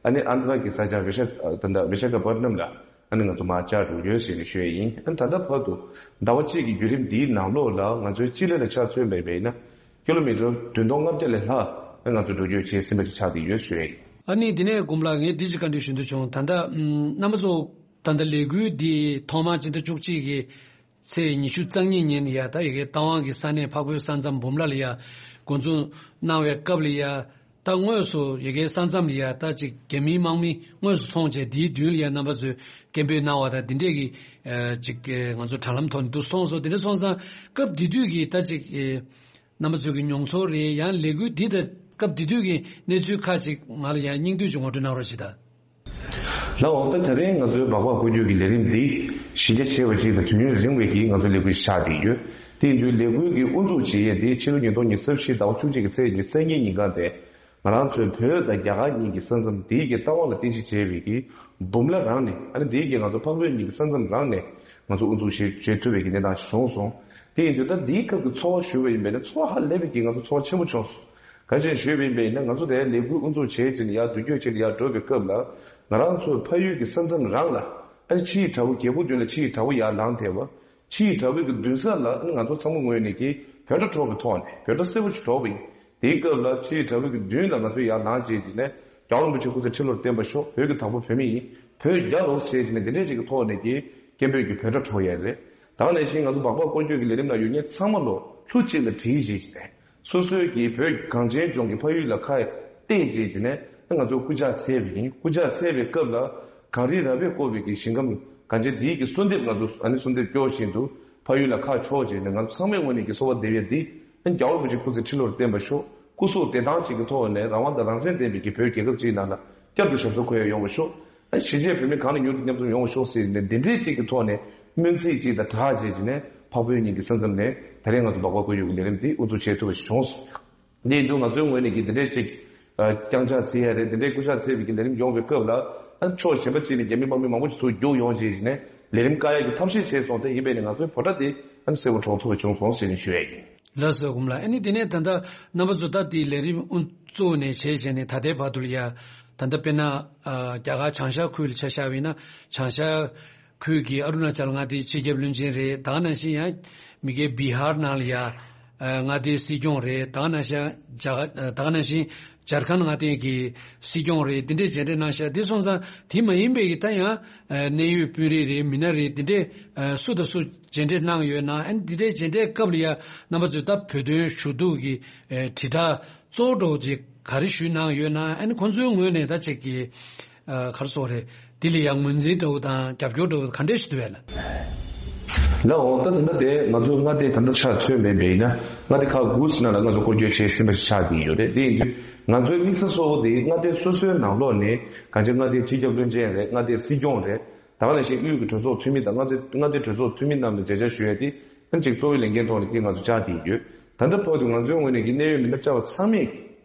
ཨ་ནི་ཨན་དྷ་ར་གི་ས་ཆ་བི་ཤ་ད་ལྟ་བི་ཤ་ཁ་པ་ཏ་ནམ་ལ་ཨ་ནི་ང་ཚོ་མར་བཅར་འགྲོ་ཡོད་ཞེས་ནས་ཞུ་ཡས་ཡིན། ཨ་ནི་ད་ལྟ་བར་དུ་ཟླ་བ་གཅིག་གི་བརྒྱུད་རིམ་འདིའི་ནང་ལོགས་ལ་ང་ཚོའི་སྤྱི་ལེ་ལ་ཆ་མཚོན་པ་ཡིན་ན། ཀི་ལོ་མི་ཊར་བདུན་སྟོང་ལྔ་བརྒྱ་ལས་ལྷག་ང་ཚོ་འགྲོ་སྐྱོད་བྱས་ཟིན་པ་ཞིག་ཆགས་བསྡད་ཡོད་ཞུ་ཡས། ཨ་ནི་འདི་ནས་མགོན་པོ་ལགས་ངས་འདི་ཅིག་བཀའ་འདྲི་ཞུ་འདོད་བྱུང་། ད་ལྟ་ཨམ་རྣམ་པ་ཚོ་ད་ལྟ་ལས་འགུལ་འདི་ཐོག་མར་སྤྱི་ཟླ་བཅུ་གཅིག་གི་ཚེས་ཉི་ཤུ་རྩ་གཉིས་ཉིན་ཡ་ད་ཡ་གི་རྟ་དབང་གི་ས་གནས་འཕགས་བོད་ས་མཚམས་འབུམ་ལ་ལ་ཡ་འགོ་འཛུགས་གནང་བའི་སྐབས་ལ་ཡ་ད་དངོས་སུ་ཡ་གི་ས་མཚམས་ལ་ཡ་ད་ཅིག་རྒྱ་མིའི་དམག་མི་དངོས་སུ་མཐོང་བྱས་འདིའི་མདུན་ལ་ཡ་རྣམ་པ་ཚོས་སྐད་འབོད་གནང་བ་དང་འདི་འདྲས་ཀྱི་ཅིག་ང་ཚོ་དྲ་ལམ་ཐོག་ནས་འདུག་མཐོང་སོང་། འདི་འདྲ་སོང་ཙང་སྐབས་དེ་དུས་ཀྱི་ད་ཅིག་རྣམ་པ་ཚོའི་གི་མྱོང་ཚོར་རེད། ཡང་ལས་འགུལ་འདི་དང་སྐབས་དེ་དུས་ཀྱི་གནས་ཚུལ་ཁག་ཅིག་ང་ལ་ཡང་སྙིང་བསྡུས་ཅིག་ངོ་སྤྲོད་གནང་རོགས་བྱེད་དང་། ལགས་འོང་། ད་དེ་རིང་ང་ཚོའི་སྦག་སྦག་སྐོར་སྐྱོད་ཀྱི་ལས་རིམ་འདི་གཞི་རྒྱ་ཆེ་བ་ཅིག་དང་དུས་ཡུན་རིང་བའི་གི་ང་ཚོའི་ལས་འགུལ་ཞིག་ཆགས་བསྡད་ཡོད། དེ་ཡིན་དུས་ལས་འགུལ་གྱི་དབུ་འཛུགས་བྱེད་ཡས་འདི་ཕྱི་ལོ་ཉིས་སྟོང་ཉི་ཤུ་རྩ་བཞི་ཟླ་བ་བཅུ་གཅིག་གི་ཚེས་ཉི་ཤུ་རྩ་གཉིས་ཉིན་གང་དེ་ང་རང་ཚོའི་བོད་དང་རྒྱ་གར་གཉིས་ཀྱི་ས་མཚམས་འདིའི་གི་རྟ་དབང་ལ་རྟེན་གཞི་བྱས་པའི་གི་འབུམ་ལ་རང་ནས་ཨ་ནི་འདིའི་གི་ང་ཚོ་འཕགས་བོད་གཉིས་ཀྱི་ས་མཚམས་རང་ནས་ང་ཚོ་དབུ་འཛུགས་བྱེད་བྱེད་ཐུབ་པའི་གི་གནས་སྟངས་ཤིག་བྱུང་སོང་། དེ་ཡིན་དུས་ད་འདིའི་སྐབས་ཀྱི་ཚོར་བ་ཞུ་བ་ཡིན་པས་ན་ཚོར་བ་ཧ་ལས་པའི་གི་ང་ཚོ་ཚོར་བ་ཆེན་པོ་བྱུང་སོང་། ག་ཅི་ཞུས་པ་ཡིན་པས་ན་ང་ཚོ་དེ་ལས་འགུལ་དབུ་འཛུགས་བྱས་ཕྱིན་ཡར་མདུན་སྐྱོད་བྱས་ཡར་འགྲོ་བའི་སྐབས་ལ་ང་རང་ཚོའི་ཕ་ཡུལ་གྱི་ས་མཚམས་རང་ལ་ཨ་ནི་ཕྱིའི་དགྲ་བོ་རྒྱལ་པོ་མདུན་ལ་ཕྱིའི་དགྲ་བོ་ཡར་ལངས་ཐལ་བ། ཕྱིའི་དགྲ་བོའི་གི་མདུན་ས་ལ་ཨ་ནི་ང་ཚོ་ཚང་མ་ངོས་ནས་ཀྱི་བོད་སྒྲ་སྒྲོག་གི་ཐོག་ནས་བོད་སྒྲ་གསལ་པོ་ཅིག་སྒྲོག་པ་ཡིན། དེའི་སྐབས་ལ་ཕྱིའི་དགྲ་བོའི་གི་མདུན་ལ་ང་ཚོ་ཡར་ལངས་བྱས་ཀྱི་ནས་རྒྱལ་བ་རིན་པོ་ཆེ་སྐུ་ཚེ་ཁྲི་ལོར་བརྟན་པར་ཤོག་བོད་ཀྱི་བདག་པོ་བོད་མི་ཡིན། བོད་རྒྱལ་ལོ་ཞེས་བྱས་ནས་འདི་འདྲས་ཅིག་གི་ཐོག་ནས་ཀྱི་སྐད་འབོད་ཀྱི་བོད་སྒྲ་སྒྲོག་ཡས་རེད། ད་ག་ནང་བཞིན་ང་ཚོ་སྦག་སྦག་སྐོར་སྐྱོད་ཀྱི་ལས་རིམ་ནང་ཡོད་མཁན་ཚང་མ་ལོ་ལྷུ་གཅིག་ལ་བྲིས་བྱས་ཀྱི་ནས་སོ་སོའི་གི་བོད་གངས་ཅན་ལྗོངས་ཀྱི་ཕ་ཡུལ་ལ་ཁ་གཏད་བྱས་ཀྱི་ནས་ང་ཚོ་སྐུ་ཕྱག་འཚལ་བ་ཡིན། སྐུ་ཕྱག་འཚལ་བའི་སྐབས་ལ་གངས་རི་ར་བས་བསྐོར་བའི་གི་ཞིང་ཁམས་གངས་ཅན་འདིའི་གི་གསོལ་འདེབས་ང་ཚོ་ཨ་ནི་གསོལ་འདེབས་སྐྱོར་བཞིན་དུ་ཕ་ཡུལ་ལ་ཁ་ཕྱོགས་བྱས་ནས་ང་ཚོ་ཚང་མའི་ངོས་ནས་ཀྱི་གསོལ་བ་འདེབས་ཡས་འདི་ཨ་ནི་རྒྱལ་བ་རིན་པོ་ཆེ་སྐུ་ཚེ་ཁྲི་ལོར་བརྟན་པར་ཤོག་སྐུ་གཟུགས་བདེ་ཐང་ཅིག་གི་ཐོག་ནས་རང་དབང་དང་རང་བཙན་ལྡན་པའི་གི་བོད་རྒྱལ་ཁབ་ཅིག་ནང་ལ་བསྐྱར་དུ་ཞབས་སོར་འཁོད་ཡ་ཡོང་བ་ཤོག་ཨ་གཞིས་བྱེས་བོད་མི་གང་ནས་མྱུར་དུ་མཉམ་འཛོམས་ཡོང་བ་ཤོག་ཟེར་ནས་འདི་འདྲའི་ཅིག་གི་ཐོག་ནས་སྨོན་ཚིག་ཅིག་དང་སྦྲགས་བྱས་ཀྱི་ནས་འཕགས་བོད་གཉིས་ཀྱི་ས་མཚམས་ནས་ད་རེས་ང་ཚོ་སྦག་སྦག་སྐོར་སྐྱོད་ཀྱི་ལས་རིམ་འདི་དབུ་འཛུགས་བྱེད་ཐུབ་པ་ཞིག་བྱུང་སོང་། འདི་ཡིན་དུས་ང་ཚོའི་ངོས་ནས་ཀྱི་འདི་འདྲའི་ཅིག་བརྐྱངས་ཕྱག་ཟེར་ཡ་རེད། འདི་འདྲའི་སྐུ་ཕྱག་འཚལ་བའི་ཀྱི་ལས་རིམ་ཡོང་བའི་སྐབས་ལ་ཨ་ཕྱོགས་གཞན་པ་ཅིག་ནས་རྒྱ་མི་དམག་མི་མང་པོ་ཞིག་ཚུར་རྒྱུགས་ཡོང་བྱས་ཀྱི་ནས་ལས་རིམ་བཀག་ཡ་གི་ཐབས་ཤེས་བྱས་སོང་། དེ་ཡིན་པས་ནས་ང་ཚོའི་ཕོ་བྲང་འདི་ཨ་ནི་གསལ་པོ་སྒྲོག་ཐུབ་པ་བྱུང་སོང་ཞེས་ནས་ཞུ་ཡ་ཡིན། ལགས་སོ། མགོན་པོ་ལགས། ཨ་ནི་དེ་ནས་ད་ལྟ་རྣམ་པ་ཚོ་ད་དེའི་ལས་རིམ་དབུ་བཙུགས་ནས་བྱས་བྱས་ནས་ད་ལྟའི་བར་དུ་ལ་ཡ་ད་ལྟ་དཔེར་ན་ཨ་རྒྱ་གར་བྱང་ཤར་ཁུལ་ལ་ཆ་བཞག་པ་ཡིན་ན་བྱང་ཤར་ཁུལ་གྱི་ཨ་རུ་ན་ཅལ་མངའ་སྡེའི་སྤྱི་ཁྱབ་བློན་ཆེན་རེད། ད་ག་ནང་བཞིན་ཡང་མི་སྒེར་བི་ཧར་ནང་ལ་ཡ་ཨ་མངའ་སྡེའི་སྲིད་སྐྱོང་རེད། ད་ག་ནང་བཞིན་རྒྱ་གར་ད་ག་ནང་བཞིན་ཇར་ཁན་མངའ་སྡེ་གི་སྲིད་སྐྱོང་རེད། དེ་འདྲས་མཇལ་འཕྲད་གནང་ཤག་དེ་སོང་ཙང་དེ་མ་ཡིན་པའི་གི་ད་ཡང་ཨ་གནད་ཡོད་དཔོན་རིགས་རེད། མི་སྣ་རེད། དེ་འདྲས་ཨ་སུ་དང་སུ་མཇལ་འཕྲད་གནང་ཡོད་ན། ཨ་ནི་དེ་འདྲའི་མཇལ་འཕྲད་སྐབས་ལ་ཡ་རྣམ་པ་ཚོས་ད་བོད་དོན་ཞུ་གཏུག་གི་ཨ་དྲིལ་བསྒྲགས་གཙོ་བོ་འདྲ་བོ་ཅིག་ག་རེ་ཞུས་གནང་ཡོད་ན། ཨ་ནི་ཁོང་ཚོའི་ངོས་ནས་ད་ཅིག་གི་ཨ་ག་རེ་ཟེར་དགོས་རེད། དེ་ལ་ཡ་ངོས་འཛིན་འདྲ་བོ་དང་རྒྱབ་སྐྱོར་འདྲ་བོ་ག་འདྲས་ཞིག་འདུག་བས་ལ། ལགས་འོང་། ད་ད་ལྟ་དེ་ང་ཚོའི་མངའ་སྡེ་ད་ལྟ་ཆ་མཚོན་པ་ཡིན་ན་མངའ་སྡེ་ཁག་དགུ་ནང་ལ་ང་ཚོ་སྐོར་སྐྱོད་བྱས་ཟིན་པ་ཞིག་ཆགས་ཀྱི་ཡོད་རེད། དེ་ཡིན་དུས་ང་ཚོའི་དམིགས་ས་གཙོ་བོ་དེ་མངའ་སྡེ་སོ་སོའི་ནང་ལོགས་ནས་གང་ཅི་མངའ་སྡེའི་སྤྱི་ཁྱབ་བློན་ཆེན་རེད། མངའ་སྡེའི་སྲིད་སྐྱོང་རེད། ད་ག་ནང་བཞིན་དབུས་ཀྱི་གྲོས་ཚོགས་འཐུས་མི་དང་མངའ་སྡེ་མངའ་སྡེའི་གྲོས་ཚོགས་འཐུས་མི་རྣམས་ལ་མཇལ་བཅར་ཞུ་ཡ་དེ་ཨ་ནི་གཅིག་གཙོ་བོའི་ལས་འགན་ཐོག་ནས་ཀྱི་ང་ཚོ་བཅར་བསྡད་ཡོད། ད་ལྟ་བར་དུ་ང་ཚོའི་ངོས་ནས་ཀྱི་གནད་ཡོད་མི་སྣ་བཅར་བ་ཚང་མས་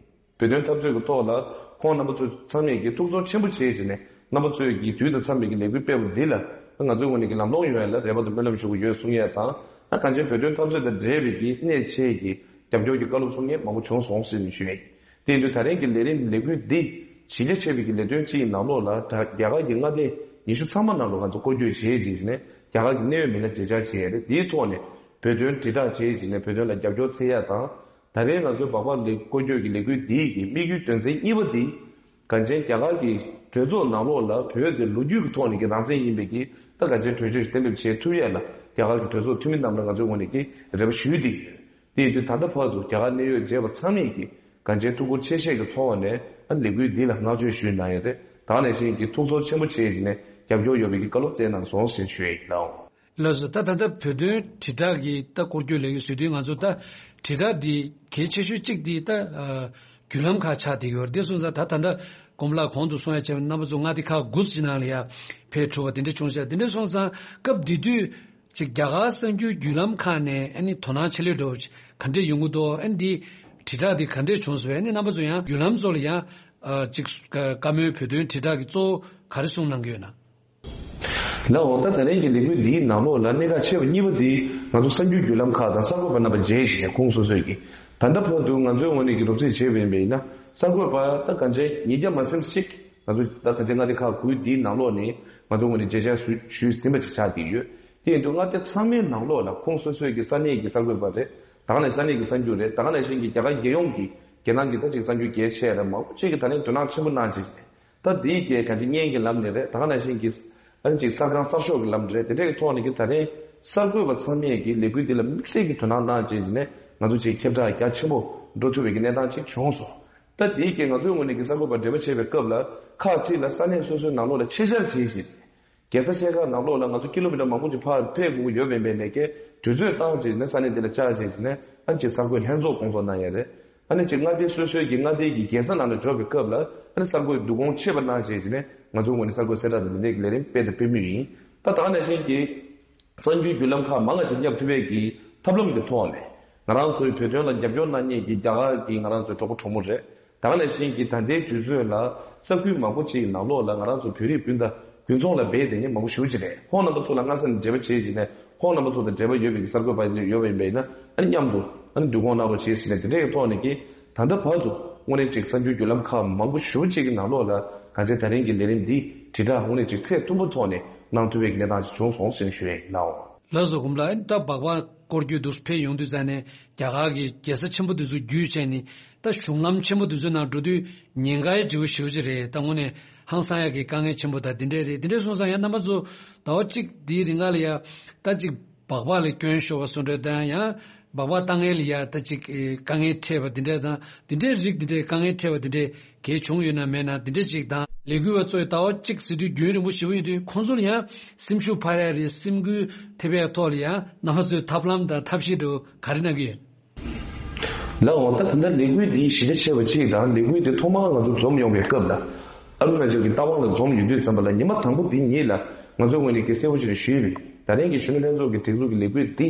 ཀྱི་བོད་དོན་འཐབ་རྩོད་ཀྱི་ཐོག་ལ་ ཁོང་རྣམ་པ་ཚོ་ཚང་མས་ཀྱི་ཐུགས་ཚོར་ཆེན་པོ་བྱེད་བྱས་ནས་རྣམ་པ་ཚོས་ཀྱི་དུས་དང་འཚམས་པའི་ཀྱི་ལས་འགུལ་སྤེལ་བ་འདི་ལ་ང་ཚོའི་ངོས་ནས་ཀྱི་ལམ་ལྷོང་ཡོང་ཡ་ལ་རེ་བ་དང་སྨོན་ལམ་ཞུ་གི་ཡོད་གསུང་ཡ་དང་། ད་གང་ཅི་བོད་དོན་འཐབ་རྩོད་དང་འབྲེལ་བའི་ཀྱི་གནད་ཆེ་ཀྱི་རྒྱབ་སྐྱོར་གྱི་བཀའ་སློབ་གསུང་མཁན་མང་པོ་བྱུང་སོང་ཟེར་ནས་ཞུ་ཡ་ཡིན། དེ་ཡིན་དུས་ད་རིང་གི་ལས་རིམ་ལས་འགུལ་འདི་གཞི་རྒྱ་ཆེ་བའི་ཀྱི་ལས་དོན་གཅིག་ཡི་ནང་ལོགས་ལ་ད་རྒྱ་གར་གྱི་མངའ་སྡེ་ཉི་ཤུ་ཚང་མ་ནང་ལ་ང་ཚོ་སྐོར་སྐྱོད་བྱེད་ཅིང་ནས་རྒྱ་གར་གྱི་གནད་ཡོད་མི་སྣ་མཇལ་བཅར་བྱེད་ཡ་རེད། དེའི་ཐོག་ནས་བོད་དོན་དྲིལ་བསྒྲགས་བྱེད་ཅིང་ནས་བོད་དོན་ལ་རྒྱབ་སྐྱོར་འཚོལ་ཡ་དང་། ད་རེས་ང་ཚོའི་སྦག་སྦག་ལས་སྐོར་སྐྱོད་ཀྱི་ལས་འགུལ་འདིའི་གི་དམིགས་ཡུལ་དོན་ཚན་གཉིས་པ་འདི། གངས་ཅན་རྒྱ་གར་གྱི་གྲོས་ཚོགས་ནང་ལོགས་ལ་བོད་དེ་ལོ་རྒྱུས་ཀྱི་ཐོག་ནས་ཀྱི་རང་བཙན་ཡིན་པའི་གི་ད་གངས་ཅན་གྲོས་ཆོད་ཞིག་གཏན་འབེབས་བྱེད་ཐུབ་ཡས་ལ་རྒྱ་གར་གྱི་གྲོས་ཚོགས་འཐུས་མི་རྣམས་ལ་ང་ཚོའི་ངོས་ནས་ཀྱི་རེ་བ་ཞུས་ཏེ་ཡོད། དེ་ཡིན་དུས་ད་ལྟ་བར་དུ་རྒྱ་གར་གནད་ཡོད་མཇལ་བ་ཚང་མས་ཀྱི་གངས་ཅན་ཐུགས་ཁུར་ཆེ་བཞེས་ཀྱི་ཚོར་བ་ནས་ཨ་ལས་འགུལ་འདི་ལ་བསྔགས་བརྗོད་ཞུས་གནང་ཡོད་རེད། ད་ག་ནང་བཞིན་གྱི་ཐུགས་ཚོར་ཆེན་པོ་བྱེད་ཀྱི་ནས་རྒྱབ་སྐྱོར་ཡོད་པའི་གི་བཀའ་སློབ་སྩལ་གནང་སོང་ཞེས་ཞུ་ཡས་ཡིན་ལགས། ལགས་སོ། ད་ད་ལྟ་བོད་དོན་དྲིལ་བསྒྲགས་ཀྱི་ད་སྐོར་སྐྱོད་ལས་ཀྱི་ཟེར་དུས་ང་ཚོ་ད་དྲིལ་བསྒྲགས་འདི་གལ་ཆེ་ཤོས་གཅིག་འདི་ད་ཨ་བརྒྱུད་ལམ་ཁག་ཆགས་བསྡད་ཡོད་རེད། དེ་སོང་ཙང་ད་ད་ལྟ་དགོངས་པ་ལགས་གོང་དུ་གསུང་ཡ་བྱས་པ་རྣམ་པ་ཚོ་མངའ་སྡེ་ཁག་དགུ་ཅིག་ནང་ལ་ཡ་ཕེབས་གྲུབ་པ་དེ་འདྲ་བྱུང་ཤག་དེ་འདྲ་སོང་ཙང་སྐབས་དེ་དུས་ཅིག་རྒྱ་གར་གསར་འགྱུར་བརྒྱུད་ལམ་ཁག་ནས་ཨ་ནི་དོ་སྣང་ཆེ་ལོས་འགྲོ་བ་ཅིག་ག་འདྲས་ཡོང་གི་འདུག་ཨ་ནི་འདི་དྲིལ་བསྒྲགས་འདི་ག་འདྲས་བྱུང་སོང་བས་ཨ་ནི་རྣམ་པ་ཚོ་ཡང་བརྒྱུད་ལམ་ཚོ་ལ་ཡང་ཨ་ཅིག་བཀའ་མོལ་བོད་དོན་དྲིལ་བསྒྲགས་ཀྱི་གཙོ་བོ་ག་རེ་གསུང་གནང་གི་ཡོད་ན། ལགས་འོ། ད་ད་རིང་གི་ལས་འགུལ་འདིའི་ནང་ལོགས་ལ་གནད་འགག་ཆེ་བ་གཉིས་པ་འདི་ང་ཚོ་གསར་འགྱུར་བརྒྱུད་ལམ་ཁག་དང་གསར་འགོད་པ་རྣམ་པ་མཇལ་བཞིན་ཁོང་སོ་སོས་ཀྱིས་ད་ལྟ་བར་དུ་ང་ཚོའི་ངོས་ནས་ཀྱི་རོབ་རྩིས་བྱས་པ་ཡིན་པ་ཡིན་ན་གསར་འགོད་པ་ད་གང་ཅི་ཉིས་བརྒྱ་མ་ཟིན་ཞིག་ང་ཚོ་ད་གང་ཅི་མངའ་སྡེ་ཁག་དགུའི་འདིའི་ནང་ལོགས་ནས་ང་ཚོའི་ངོས་ནས་མཇལ་བཅར་ཞུ་ཞུས་ཟིན་པ་ཅིག་ཆགས་བསྡད་ཡོད། དེ་ཡིན་དུས་མངའ་སྡེ་ཚང་མའི་ནང་ལོགས་ལ་ཁོང་སོ་སོའི་ཀྱི་ས་གནས་ཀྱི་གསར་འགོད་པ་རེད། ད་ག་ནང་ས་གནས་ཀྱི་གསར་འགྱུར་རེད། ད་ག་ནང་བཞིན་གྱི་རྒྱ་གར་རྒྱལ་ཡོངས་ཀྱི་རྒྱལ་ནང་གི་ད་ཅིག་གསར་འགྱུར་གལ་ཆེ་རེད། མང་པོ་ཅིག་གིས་ད་ལན་དོ་སྣང་ཆེན་པོ་གནང་བྱས། ད་འདིའི་རྒྱལ་ག་འདི་བརྙན་གྱི་ལམ་ནས་རེད། ད་ག་ནང་བཞིན་གྱི་ཨ་ནི་ཅིག་གསར་ཁང་གསར་ཤོག་གི་ལམ་རེད། དེ་འདྲའི་ཐོག་ནས་ཀྱི་ད་རིང་གསར་འགོད་པ་ཚང་མས་ཀྱི་ལས་འགུལ་འདི་ལ་དམིགས་བསལ་གྱི་དོ་སྣང་གནང་བྱས་ནས་ང་ཚོ་ཅིག་ཁྱབ་བསྒྲགས་རྒྱ་ཆེན་པོ་འགྲོ་ཐུབ་པའི་གི་གནས་སྟངས་ཅིག་བྱུང་སོང་། ད་འདིའི་རྒྱལ་ང་ཚོའི་ངོས་ནས་ཀྱི་གསར་འགོད་པ་འབྲེལ་བ་བྱེད་པའི་སྐབས་ལ་ཁག་ཅིག་ལ་ས་གནས་སོ་སོའི་ནང་ལོགས་ལ་ཆེད་བཅར་བྱས་ཤིང་། རྒྱལ་ས་ཤར་ཁག་ནང་ལོགས་ལ་ང་ཚོ་ཀི་ལོ་མི་ཊར་མང་པོ་ཅིག་ཕར་ཕེབས་དགོས་ཀྱི་ཡོད་པའི་འབད་ནས་ཀྱི་དུས་ཚོད་བཏང་བྱས་ནས་ས་གནས་འདི་ལ་བཅར་བྱས་ནས་ཨ་ཅིག་གསར་འགོད་ལྷན་ཚོགས་སྐོང་ཚོགས་གནང་ཡ་རེད། ཨ་ནི་ཅིག་མངའ་སྡེ་སོ་སོའི་གི་མངའ་སྡེའི་གི་རྒྱལ་ས་ནང་ལ་འབྱོར་བའི་སྐབས་ལ་ཨ་ནི་གསར་འགོད་བསྡུ་སྐོང་ཆེད་པ་གནང་བྱས་ཀྱི་ནས་ང་ཚོའི་ངོས་ནས་གསར་འགོད་གསལ་བསྒྲགས་དང་འདི་འདྲའི་གི་ལས་རིམ་སྤེལ་དང་སྤེལ་མུས་ཡིན། ད་ད་ག་ནང་བཞིན་གྱི་གསར་འགྱུར་བརྒྱུད་ལམ་ཁག་མང་ང་ཅིག་བསྙབ་ཐུབ་པའི་གི་ཐབས་ལམ་གྱི་ཐོག་ནས་ང་རང་ཚོའི་བོད་དོན་ལ་རྒྱབ་སྐྱོར་གནང་མཁན་གྱི་རྒྱ་གར་གྱི་ང་རང་ཚོའི་གྲོགས་པོ་གྲོགས་མོ་རེད། ད་ག་ནང་བཞིན་གྱི་ད་ལྟའི་དུས་ཚོད་ལ་ས་ཁུལ་མང་པོ་ཅིག་ནང་ལོགས་ལ་ང་རང་ཚོ་བོད་རིགས་སྤུན་ཟླ་དགུན་ཚོང་ལ་འབད་བསྡད་མཁན་མང་པོ་ཞེ་པོ་ཅིག་རེད། ཁོང་རྣམ་པ་ཚོ་ལ་སྔ་ས་ནས་འབྲེལ་བ་བྱས་བྱས་ནས་ཁོང་རྣམ་པ་ཚོ་དང་འབྲེལ་བ་ཡོད་པའི་གི་གསར་འགོད་པ་ཡོད་པ་ཡིན་པ་ཡིན་ན་ཨ་ནི་མཉམ་དུ་ཨ་ནི་བསྡུ་སྐོང་གནང་རོགས་བྱེད་ཟེར་ནས་དེ་འདྲའི་གི་ཐོག་ནས་ཀྱི་ད་ལྟ་བར་དུ་དངོས་གནས་ཅིག་གསར་འགྱུར་བརྒྱུད་ལམ་ཁག་མང་པོ་ཞེ་པོ་ཅིག་གི་ནང་ལོགས་ལ་གང་ཅི་ད་རིང་གི་ལས་རིམ་འདི་དྲིལ་བསྒྲགས་དངོས་གནས་ཅིག་ཚད་མཐོན་པོ་ཐོག་ནས་གནང་ཐུབ་པའི་གི་གནས་སྟངས་ཅིག་བྱུང་སོང་ཟེར་ནས་ཞུ་ཡས་ཡིན་ལགས། ལགས་སོ། གོང་ལ་ད་སྦག་སྦག་སྐོར་སྐྱོད་འདུག་ཕེབས་ཡོང་དུས་ཙང་ནས་རྒྱ་གར་གྱི་རྒྱལ་ས་ཆེན་པོ་འདི་ཚོ་བརྒྱུད་བྱས་ནས་ད་གཞུང་ལམ་ཆེན་པོ་འདི་ཚོའི་ནང་འགྲོ་དུས་ཉེན་ཁའི་བརྗིད་པོ་ཞེ་པོ་ཅིག་རེད། ད་དངོས་གནས་ཧང་སང་ཡག་གི་དཀའ་ངལ་ཆེན་པོ་ད་འདི་འདྲས་རེད། འདི་འདྲས་སོང་ཙང་ཡང་རྣམ་པ་ཚོ་ཟླ་བ་གཅིག་འདིའི་རིང་ག་ལ་ཡ་ད་ཅིག་སྦག་སྦག་ལ་སྐྱོན་ཤོར་བ་སོང་འདྲ་དང་ཡང་སྦག་སྦག་བཏང་མཁན་ལ་ཡ་ད་ཅིག་དཀའ་ངལ་འཕྲད་པ་འདི་འདྲས་དང་འདི་འདྲས་རིགས་འདི་འདྲས་དཀའ་ངལ་འཕྲད་པ་འདི་འདྲས་གལ་བྱུང་ཡོད་ན་མེད་ན་འདི་འདྲས་ཅིག་དང་ལས་འགུལ་བ་ཚོས་ཟླ་བ་གཅིག་ཟེར་དུས་རྒྱུན་རིང་པོ་ཞེ་པོ་ཡིན་དུས་ཁོང་ཚོ་ལ་ཡང་སེམས་ཤུགས་འཕར་ཡ་རེད། སེམས་འགུལ་ཐེབས་ཡ་ཐོག་ལ་ཡང་རྣམ་པ་ཚོས་ཐབས་ལམ་དང་ཐབས་ཤེས་འདྲ་བོ་ག་རེ་གནང་གི་ཡོད། ལགས་འོང་། ད་ད་ལྟ་ལས་འགུལ་འདིའི་གཞི་རྒྱ་ཆེ་བ་གཅིག་དང་ལས་འགུལ་འདི་ཐོག་མར་ང་ཚོ་འཛོམས་ཡོང་བའི་སྐབས་ལ་ཨ་རུ་ན་ཅལ་གྱི་རྟ་དབང་ལ་འཛོམས་ཡོང་དུས་ཙམ་པ་ལ་ཉི་མ་དང་པོ་འདི་ཉིད་ལ་ང་ཚོའི་ངོས་ནས་ཀྱི་གསལ་པོ་ཞིག་ཞུས་པས་ད་རིང་གི་གཞོན་ནུ་ལྷན་ཚོགས་ཀྱི་སྒྲིག་འཛུགས་ཀྱི་ལས་འགུལ་འདི་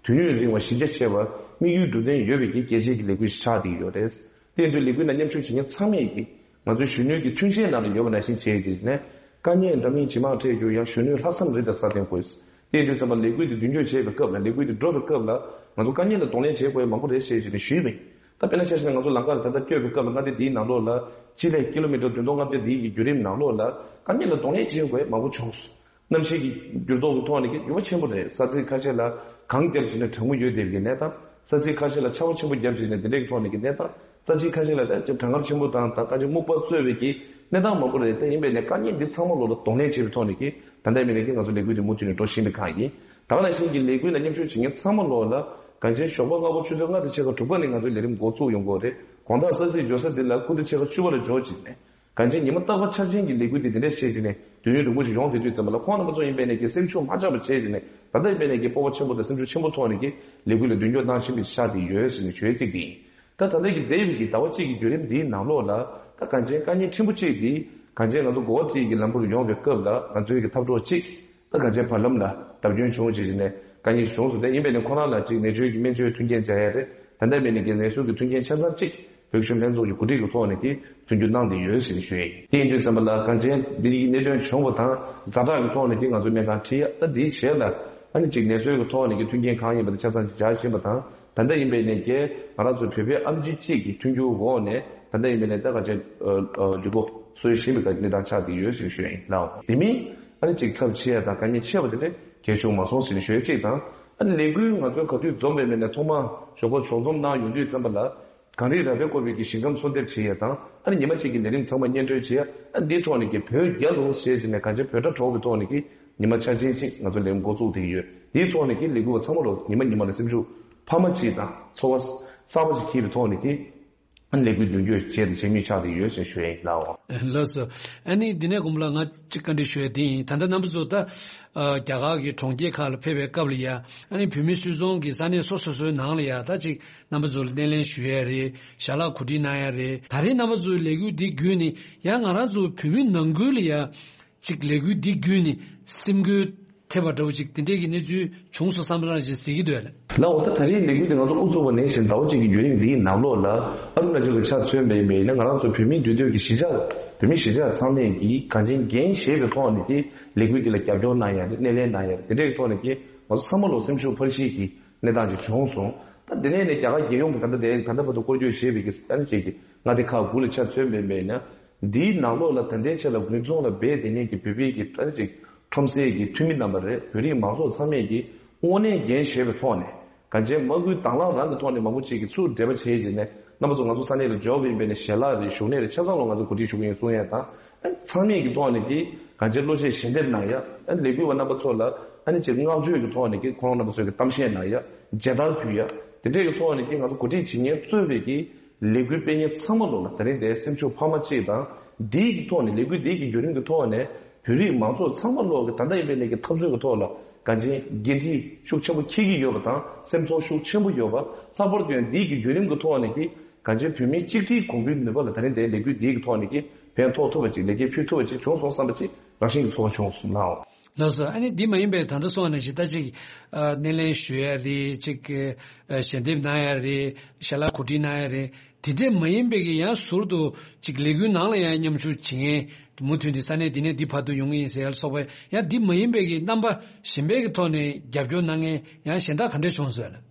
དུས་ཡུན་རིང་བ་གཞི་རྒྱ་ཆེ་བ་དམིགས་ཡུལ་འགྲུབ་བསྟན་ཡོད་པའི་གི་གལ་ཆེའི་གི་ལས་འགུལ་ཞིག་ཆགས་བསྡད་ཡོད་རེད། དེ་དུས་ལས་འགུལ་ནང་མཉམ་ཞུགས་བྱེད་མཁན་ཚང་མས་ཀྱིས་ང་ཚོའི་གཞོན་ནུའི་གི་མཐུན་རྐྱེན་ནང་ལ་ཡོད་པ་ནང་བཞིན་བྱས་ཏེ་ནས་དཀའ་ངལ་འདྲ་མིན་ཇེ་མང་འཕྲད་རྒྱུ་ཡང་གཞོན་ནུའི་ལྷག་བསམ་རི་དྭགས་ས་སྟེང་བཀོད། དེ་དུས་ཙམ་པ་ལས་འགུལ་འདི་མདུན་སྐྱོད་བྱེད་པའི་སྐབས་ལ་ལས་འགུལ་འདི་འགྲོ་བའི་སྐབས་ལ་ང་ཚོ་དཀའ་ངལ་ལ་གདོང་ལེན་བྱེད་དགོས་ཡ་མང་པོ་རེད་ཞེས་བྱས་ནས་ཞུས་པ་ཡིན། ད་དཔེར་ན་ཆ་བཞག་ན་ང་ཚོ་ལམ་ཁ་ལ་ད་ལྟ་སྐྱོད་པའི་སྐབས་ལ་མངའ་སྡེ་འདིའི་ནང་ལོགས་ལ་སྤྱི་ལེ་ཀི་ལོ་མི་ཊར་བདུན་སྟོང་ལྔ་བརྒྱ་འདིའི་གི་བརྒྱུད་རིམ་ནང་ལོགས་ལ་དཀའ་ངལ་ལ་གདོང་ལེན་བྱེད་དགོས་ཡ་མང་པོ་བྱུང་སོང་། གནམ་གཤིས་ཀྱི་འགྱུར་ལྡོག་གི་ཐོག་ནས་ཀྱི་འགྱུར་བ་ཆེན་པོ་རེད། ས་ཚིགས་ཁ་ཤས་ལ་གངས་བརྒྱབ་བྱས་ནས་གྲང་མོ་ཡོད་བསྡད་པའི་གནས་སྟངས། ས་ཚིགས་ཁ་ཤས་ལ་ཆར་པ་ཆེན་པོ་བརྒྱབ་བྱས་ནས་དེ་འདྲའི་ཐོག་ནས་ཀྱི་གནས་སྟངས། ས་ཚིགས་ཁ་ཤས་ལ་ད་ཅིག་གྲང་ངར་ཆེན་པོ་དང་ད་ག་ཅིག་སྨུག་པ་གཙོས་པའི་ཀྱི་གནས་སྟངས་མང་པོ་རེད། དེ་ཡིན་པས་ནས་དཀའ་ངལ་འདི་ཚང་མ་ལོག་ལ་གདོང་ལེན་བྱེད་པའི་ཐོག་ནས་ཀྱི་ད་ལྟ་ཡིན་པས་ནས་ཀྱི་ང་ཚོ་ལས་འགུལ་འདི་མུ་མཐུད་ནས་འགྲོ་བཞིན་པའི་ཁག་ཡིན། ད་ག་ནང་བཞིན་གྱི་ལས་འགུལ་ལ་མཉམ་ཞུགས་བྱེད་མཁན་ཚང་མ་ལོག་ལ་གངས་ཅན་ཞོགས་པ་སྔ་པོ་ཆུ་ཚོད་ལྔ་དང་ཕྱེད་ཀ་དྲུག་པ་ནས་ང་ཚོའི་ལས་རིམ་འགོ་བཙུགས་ཡོང་གི་ཡོད་རེད། དགོང་དག་ས་ཚིགས་འབྱོར་ས་འདི་ལ་སྐུ་ཚེ་ཕྱེད་ཀ་བཅུ་པ་ལ་འབྱོར་བྱས་ནས། གངས་ཅན་ཉི་མ་རྟག་པར་འཆར་ཅན་གྱི་ལས་འགུལ་འདི་འདི་འདྲ་བྱས་བྱས་ནས་དུས་ཡུན་རིང་པོ་ཞིག་ཡོང་བསྡད་དུས་ཙམ་པ་ལ་ཁོང་རྣམ་པ་ཚོ་ཡིན་པས་ནས་ཀྱི་སེམས་ཤུགས་མ་ཆག་པ་བྱས་བྱས་ནས་ད་ལྟ་ཡིན་པས་ནས་ཀྱི་སྤོབས་པ་ཆེན་པོ་དང་སེམས་ཤུགས་ཆེན་པོ་ཐོག་ནས་ཀྱི་ལས་འགུལ་ལ་མདུན་སྐྱོད་གནང་བཞིན་པའི་ཆ་དེ་ཡོད་ཟེར་ནས་ཞུ་ཡས་གཅིག་དེ་ཡིན། ད་ད་ལྟ་གི་འདས་པའི་གི་ཟླ་བ་གཅིག་གི་བརྒྱུད་རིམ་འདིའི་ནང་ལོགས་ལ་ད་གངས་ཅན་དཀའ་ངལ་ཕྲན་བུ་གཅིག་འདི་གངས་ཅན་ང་ཚོ་གོ་བ་བརྩི་ཡི་གི་ལམ་བུར་ཡོང་བའི་སྐབས་ལ་ང་ཚོའི་གི་འཐབ་གྲོགས་གཅིག་ད་གངས་ཅན་བར་ལམ་ལ་བརྡབ་སྐྱོན་བྱུང་བྱས་བྱས་ནས་དཀའ་ངལ་ཞིག་བྱུང་སོང་། དེ་ཡིན་པས་ནས་ཁོ་རང་ལ་གཅིག་ནད་བཅོས་ཀྱི་སྨན་བཅོས་མཐུན་རྐྱེན་སྦྱར་ཡ་རེད། ད་ལྟ་ཡིན་པས་ནས་ཀྱི་ནད་གསོ་གི་མཐུན་རྐྱེན་ཆ་ཚང་གཅིག་བོད་གཞོན་ལྷན་ཚོགས་ཀྱི་གོ་སྒྲིག་གི་ཐོག་ནས་ཀྱི་མཐུན་འགྱུར་གནང་བསྡད་ཡོད་ཟེར་ཞུ་ཡ་ཡིན། དེ་ཡིན་དུས་ཙམ་པ་ལ་གངས་ཅན་འདི་ཡི་གནད་དོན་བྱུང་བ་དང་ཛ་དྲག་གི་ཐོག་ནས་ཀྱི་ང་ཚོ་གནས་སྟངས་ཁྲིད་ཡ། ད་འདིའི་རྗེས་ལ་ཨ་ནི་ཅིག་གནས་ཚུལ་གྱི་ཐོག་ནས་ཀྱི་མཐུན་རྐྱེན་གང་ཡིན་པ་དེ་ཆ་ཚང་ཅིག་སྦྱར་བཞིན་པ་དང་། ད་ལྟ་ཡིན་པའི་ནས་ཀྱི་ང་རང་ཚོ་བོད་པའི་ཨེམ་ཆི་གཅིག་གི་མཐུན་འགྱུར་འོག་ནས་ད་ལྟ་ཡིན་པའི་ནས་ད་ག་ཅན་ལུས་པོ་གསོ་བཞིན་པའི་གནས་སྟངས་ཆགས་བསྡད་ཡོད་ཟེར་ཞུ་ཡ་ཡིན་ལགས། དེ་མིན་ཨ་ནི་ཅིག་ཚབས་ཆེ་ཡ་དང་དཀའ་ངལ་ཆེ་བ་དེ་འདྲ་གལ་བྱུང་མ་སོང་ཟེར་ཞུ་ཡ་གཅིག་དང་། ཨ་ནི་ལས་འགུལ་ང་ཚོའི་ག་དུས་འཛོམས་པའི་མེད་ནས་ཐོག་མ་ཞོགས་པ་ཕྱོགས་འཛོམས་གནང་ཡོང་དུས་ཙམ་པ་ལ། གངས་རི་ར་བས་བསྐོར་བའི་གི་ཞིང་ཁམས་གསོལ་འདེབས་བྱེད་ཡས་དང་། ཨ་ནི་ཉི་མ་གཅིག་གི་ལས་རིམ་ཚང་མ་སྙན་སྒྲོན་བྱེད་ཡས། ཨ་ནི་འདིའི་ཐོག་ནས་ཀྱི་བོད་རྒྱལ་ལོ་ཞེས་བྱས་ནས་གངས་ཅན་བོད་སྒྲ་སྒྲོག་པའི་ཐོག་ནས་ཀྱི་ཉི་མ་འཆར་ཅན་གཅིག་ང་ཚོ་ལས་རིམ་འགོ་བཙུགས་བསྡད་ཀྱི་ཡོད། འདིའི་ཐོག་ནས་ཀྱི་ལས་འགུལ་བ་ཚང་མ་ལོ་ཉི་མ་ཉི་མ་ལ་སེམས་ཤུགས་འཕར་མ་གཅིག་དང་ཚོར་བ་གསར་པ་ཞིག་འཁྱེར་བའི་ཐོག་ནས་ཀྱི་ཨ་ནི་ལས་འགུལ་མདུན་སྐྱོད་བྱས་ཏེ་བྱེད་མུས་ཆགས་བསྡད་ཡོད་ཅེས་ཞུ་ཡས་ཡིན་ལགས། ལགས་སོ། ཨ་ནི་འདི་ནས་དགོངས་པ་ལ་ང་གཅིག་བཀའ་འདྲི་ཞུ་ཡས་འདི་ཡིན། ད་ལྟ་རྣམ་པ་ཚོ་ད་ཨ་རྒྱ་གར་གྱི་གྲོང་ཁྱེར་ཁག་ལ་ཕེབས་པའི་སྐབས་ལ་ཡ། ཨ་ནི་བོད་མི་སུད་ཚོང་གི་ས་གནས་སོ་སོ་སོའི་ནང་ལ་ཡ་ད་ཅིག་རྣམ་པ་ཚོ་ལ་སྣེ་ལེན་ཞུ་ཡས་རེད། ཞལ་ལག་གོ་སྒྲིག་གནང་ཡས་རེད། ད་རེས་རྣམ་པ་ཚོའི་ལས་འགུལ་འདི་བརྒྱུད་ནས་ཡང་ང་རང་ཚོ་བོད་མི་ནང་ཁུལ་ལ་ཡ་ཅིག་ལས་འགུལ་འདི་བརྒྱུད་ནས་སེམས་འགུལ་ཐེབས་པ་འདྲ་བོ་ཅིག་དེ་འདྲས་ཀྱི་གནས་ཚུལ་བྱུང་སོང་བསམ་པ་རང་ཅིག་གཟིགས་ཀྱི་འདུག་ལགས། ལགས་འོ། ད་ད་རེས་ལས་འགུལ་འདི་ང་ཚོ་དབུ་བཙུགས་པ་ནས་བཞིན་ཟླ་བ་གཅིག་གི་བརྒྱུད་རིམ་འདིའི་ནང་ལོགས་ལ་ཨ་རུ་ན་ཅལ་གྱི་ཆ་མཚོན་པ་ཡིན་པ་ཡིན་ན། ང་རང་ཚོ་བོད་མིའི་འདུས་སྡོད་ཀྱི་གཞིས་ཆགས་བོད་མི་གཞིས་ཆགས་ཚང་མས་ཀྱིས་གངས་ཅན་འགན་བཞེས་པའི་ཐོག་ནས་ཀྱི་ལས་འགུལ་འདི་ལ་རྒྱབ་སྐྱོར་གནང་ཡ་རེད། སྣེ་ལེན་གནང་ཡ་རེད། དེ་འདྲའི་ཐོག་ནས་ཀྱི་ང་ཚོ་ཚང་མ་ལོ་སེམས་ཤུགས་འཕར་གཞིའི་གི་གནས་སྟངས་ཅིག་བྱུང་སོང་། ད་དེ་ནས་ནས་རྒྱ་གར་རྒྱལ་ཡོངས་ཀྱི་ད་ལྟ་དེ་ད་ལྟ་བར་དུ་སྐོར་སྐྱོད་བྱས་པའི་གི་ཨ་ནི་ཅིག་གི་མངའ་སྡེ་ཁག་དགུ་ལ་ཆ་མཚོན་པ་ཡིན་པ་ཡིན་ན། འདིའི་ནང་ལོགས་ལ་ད་ལྟའི་ཆ་ལ་དགུན་ཚོང་ལ་འབད་དེ་ཉིད་ཀྱི་བོད་པའི་གི་ཨ་ནི་ཅིག་ཁྲོམ་སའི་གི་འཐུས་མི་རྣམ་པ་རེད། བོད་རིགས་མང་ཚོགས་ཚང་མས་ཀྱི་དངོས་གནས་འགན་བཞེས་པའི་ཐོག་ནས་གངས་ཅན་མ་སྐུལ་དྭང་བླངས་རང་གི་ཐོག་ནས་མང་པོ་ཅིག་གིས་ཚུར་འབྲེལ་བ་བྱས་རྗེས་ནས་རྣམ་པ་ཚོ་ང་ཚོ་ས་གནས་ལ་འབྱོར་བ་ཡིན་པས་ནས་ཞལ་ལག་རེད། བཞུགས་གནས་རེད། ཆ་ཚང་ལ་ང་ཚོ་གོ་སྒྲིག་ཞུ་གི་ཡིན་གསུང་ཡས་དང་། ཨ་ཚང་མས་ཀྱི་ཐོག་ནས་ཀྱི་གངས་ཅན་བློ་ཆེད་ཞལ་འདེབས་གནང་ཡ། ཨ་ལས་འགུལ་བ་རྣམ་པ་ཚོ་ལ་ཨ་ནི་ཅིག་བསྔགས་བརྗོད་ཀྱི་ཐོག་ནས་ཀྱི་ཁོང་རྣམ་པ་ཚོས་ཀྱི་གཏམ་བཤད་གནང་ཡ། མཇལ་དར་ཕུལ་ཡ། དེ་འདྲས་ཀྱི་ཐོག་ནས་ཀྱི་ང་ཚོ་གོ་སྒྲིག་བྱེད་མཁན་གཙོས་པའི་ཀྱི་ལས་འགུལ་སྤེལ་མཁན་ཚང་མ་ལོ་ལ་ད་རིང་དེ་སེམས་ཤུགས་འཕར་མ་གཅིག་དང་། འདིའི་གི་ཐོག་ནས་ལས་འགུལ་འདིའི་གི་བརྒྱུད་རིམ་གྱི་ཐོག་ནས་བོད་རིགས་མང་ཚོགས་ཚང་མ་ལོ་གི་ད་ལྟ་ཡིན་པའི་ནས་ཀྱི་འཐབ་རྩོད་ཀྱི་ཐོག་ལ་གངས་ཅན་འགན་འཁྲི་ཤུགས་ཆེན་པོ་འཁྱེར་གྱི་ཡོད་པ་དང་། སེམས་ཚོར་ཤུགས་ཆེན་པོ་ཡོད་པ། ལྷག་པར་དུ་ཡང་འདིའི་གི་བརྒྱུད་རིམ་གྱི་ཐོག་ནས་ཀྱི་གངས་ཅན་བོད་མིའི་གཅིག་སྒྲིལ་གོང་འཕེལ་ནུས་པ་ལ་ད་རིང་དེའི་ལས་འགུལ་འདིའི་གི་ཐོག་ནས་ཀྱི་ཕན་ཐོགས་ཐུབ་པ་ཅིག་ལེགས་སྐྱེས་ཕུལ་ཐུབ་པ་ཅིག་བྱུང་སོང་བསམ་པ་ཅིག་རང་བཞིན་གྱི་ཚོར་བ་བྱུང་སོང་ནའོ། ལགས་སོ། ཨ་ནི་འདི་མ་ཡིན་པའི་ད་ལྟ་སོང་བ་ནང་བཞིན་ད་ཅིག་ཨ་སྣེ་ལེན་ཞུ་ཡ་རེད། ཅིག་ཨ་ཞལ་འདེབས་གནང་ཡ་རེད། ཞལ་ལག་གོ་སྒྲིག་གནང་ཡ་རེད། དེ་འདྲས་མ་ཡིན་པའི་གི་ཡང་ཟུར་དུ་ཅིག་ལས་འགུལ་ནང་ལ་ཡང་མཉམ་ཞུགས་བྱེད་མཁན། མུ་མཐུད་དེ་ས་གནས་འདི་ནས་འདི་བར་དུ་ཡོང་གི་ཡིན་ཟེར་ཡ་ལ་སོགས་པའི་ཡང་འདི་མ་ཡིན་པའི་གི་རྣམ་པ་གཞན་པའི་གི་ཐོག་ནས་རྒྱབ་སྐྱོར་གནང་མཁན་ཡང་གཞན་དག་ག་འདྲས་བྱུང་སོང་ལ།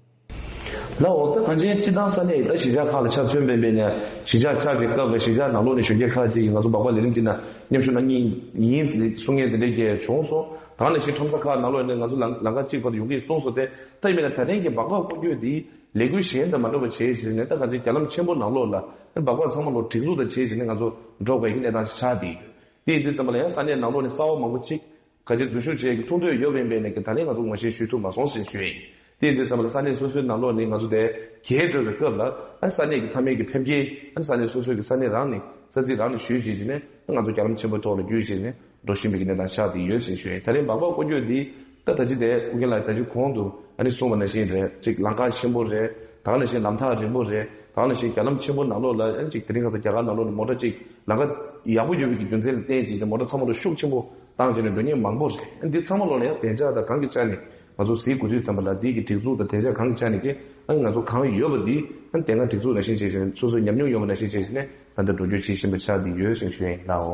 ལགས་འོ། ད་གངས་ཅན་སྤྱི་བཏང་ས་གནས་ད་གཞིས་ཆགས་ཁག་ལ་ཆ་མཚོན་པའི་འབད་ནས་གཞིས་ཆགས་ཆགས་ཀྱི་སྐབས་ལ་གཞིས་ཆགས་ནང་ལོགས་ནས་གཞོན་སྐྱེས་ཁག་ཅིག་གིས་ང་ཚོ་སྦག་སྦག་ལས་རིམ་འདི་ན་མཉམ་ཞུགས་གནང་མཁན་ཡིན་གསུང་མཁན་དེ་འདྲས་ཀྱང་བྱུང་སོང་། ད་ག་ནང་བཞིན་ཁྲོམ་ས་ཁག་ནང་ལོགས་ནས་ང་ཚོ་ལམ་ལམ་ཁ་གཅིག་བར་དུ་ཡོང་གི་གསུངས་སོང་སྟེ། ད་ཡིན་པས་ན་ད་ཐེངས་ཀྱི་སྦག་སྦག་སྐོར་སྐྱོད་འདི་ལས་འགུལ་གཞན་དང་མ་འདྲ་བ་བྱས་བྱས་ནས་ད་གངས་ཅན་རྒྱ་ལམ་ཆེན་པོ་ནང་ལོགས་ལ་སྦག་སྦག་ཚང་མ་ལོ་སྒྲིག་འཛུགས་དང་བྱས་བྱས་ནས་ང་ཚོ་འགྲོ་དགོས་ཀྱི་གནས་སྟངས་ཤིག་ཆགས་བསྡད་ཡོད། དེ་ཡིན་དུས་ཙམ་པ་ལ་ཡང་ས་གནས་ནང་ལོགས་ནས་གསར་པ་མང་པོ་ཅིག་ག་ཅིག་འཛུལ་ཞུགས་བྱེད་ཀྱི་ཐུགས་འདོད་ཡོད་པ་ཡིན་པས་ནས་ཀྱི་ད་ལན་ང་ཚོ་ངོ་ཤེས་ཞུ་ཐུབ་མ་སོང་ཞེས་ཞུ་ཡ་ཡིན། དེ་ཡིན་དུས་ཙམ་པ་ལ་ས་གནས་སོ་སོའི་ནང་ལོགས་ནས་ང་ཚོ་དེ་གྱེས་འགྲོ་བའི་སྐབས་ལ་ཨ་ས་གནས་ཀྱི་མཐའ་མའི་གི་ཕེབས་སྐྱེལ་ཨ་ས་གནས་སོ་སོའི་གི་ས་གནས་རང་ནས་ས་ཚིགས་རང་ནས་ཞུས་བྱས་བྱས་ནས་ང་ཚོ་རྒྱ་ལམ་ཆེན་པོའི་ཐོག་ལ་བརྒྱུད་བྱས་ནས་འགྲོ་བཞིན་པའི་གི་གནས་སྟངས་ཆགས་བསྡད་ཡོད་ཞེས་ཞུ་ཡ་ཡིན། ད་རེས་སྦག་སྦག་སྐོར་སྐྱོད་འདི་ད་ད་ཅི་དེ་ཨུ་རྒྱན་ལགས་ད་ཅི་གོང་དུ་ཨ་ནི་གསུངས་པ་ནང་བཞིན་རེད། ཅིག་ལམ་ཁ་ཆེན་པོ་རེད། ད་ག་ནང་བཞིན་ལམ་ཐག་རིང་པོ་རེད། ད་ག་ནང་བཞིན་རྒྱ་ལམ་ཆེན་པོ་ནང་ལོགས་ལ་ཨ་ནི་ཅིག་དེ་རིང་ཁ་སང་རྒྱ་གར་ནང་ལོགས་ནས་མོ་ཊ་ཅིག་ལམ་ཁ་ཡག་པོ་ཡོད་པའི་གི་རྒྱུ་མཚན་ལ་བརྟེན་བྱས་ཏེ་མོ་ཊ་ཚང་མ་ལ་ཤུགས་ཆེན་པོ་བཏང་བྱས་ནས་འགྲོ་མཁན་མང་པོ་རེད། ཨ་འདི་ཚང་མ་ལོགས་ལ་ཡང་བདེ་འཇགས་དང་གང་གི་ཆ་ནས་ང་ཚོ་གཟིགས་དགོས་དུས་ཙམ་པ་ལ་འདི་གི་སྒྲིག་འཛུགས་དང་བདེ་འཇགས་གང་གི་ཆ་ནས་ཀྱི་ཨ་ནི་ང་ཚོ་གང་ཡོད་པ་འདི་ཨ་ནི་དེ་སྔ་སྒྲིག་འཛུགས་ནང་བཞིན་བྱས་བྱས་ནས་སོ་སོའི་ཉམས་མྱོང་ཡོད་པ་ནང་བཞིན་བྱས་བྱས་ནས་ད་ལྟ་འགྲོ་སྐྱོད་བྱེད་བཞིན་པ་ཆགས་བསྡད་ཡོད་ཅེས་ཞུ་ཡ་ཡིན་ལགས།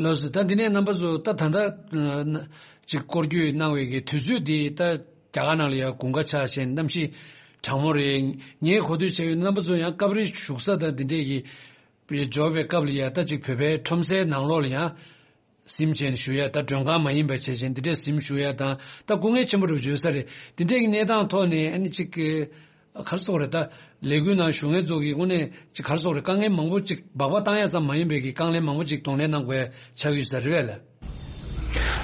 ལགས་སོ། ད་འདི་ནས་རྣམ་པ་ཚོ་ད་ད་ལྟ་ཅིག་སྐོར་སྐྱོད་གནང་བའི་གི་དུས་ཚོད་འདི་ད་རྒྱ་གར་ནང་ལ་ཡང་དགུན་ཁ་ཆགས་བྱས་གནམ་གཤིས་གྲང་མོ་རེད། ངས་གོ་ཐོས་བྱས་ཡོད་རྣམ་པ་ཚོ་ཡང་སྐབས་རེ་བཞུགས་ས་དང་འདི་འདྲས་ཀྱི་འབྱོར་བའི་སྐབས་ལ་ཡང་ད་ཅིག་བོད་པའི་ཁྲོམ་སའི་ནང་ལོགས་ལ་ཡང་གཟིམ་བྱས་ནས་བཞུགས་ཡ། ད་མགྲོན་ཁང་མ་ཡིན་པ་བྱས་བྱས་འདི་འདྲས་གཟིམ་བཞུགས་ཡ་དང་ད་སྐུ་ངལ་ཆེན་པོ་རུ་བརྗོད་ས་རེད། འདི་འདྲས་ཀྱི་གནས་སྟངས་ཐོག་ནས་ཨ་ནི་ཅིག་ག་རེ་ཟེར་དགོས་རེད། ད་ལས་འགུལ་ནང་ཞུགས་མཁན་ཚོ་གི་དངོས་གནས་ཅིག་ག་རེ་ཟེར་དགོས་རེད། དཀའ་ངལ་མང་པོ་ཅིག་སྦག་སྦག་བཏང་ཡ་ཙམ་མ་ཡིན་པའི་གི་དཀའ་ངལ་མང་པོ་ཅིག་གདོང་ལེན་གནང་དགོས་ཡ་ཆགས་ཡོད་ས་རེད་པས་ལགས།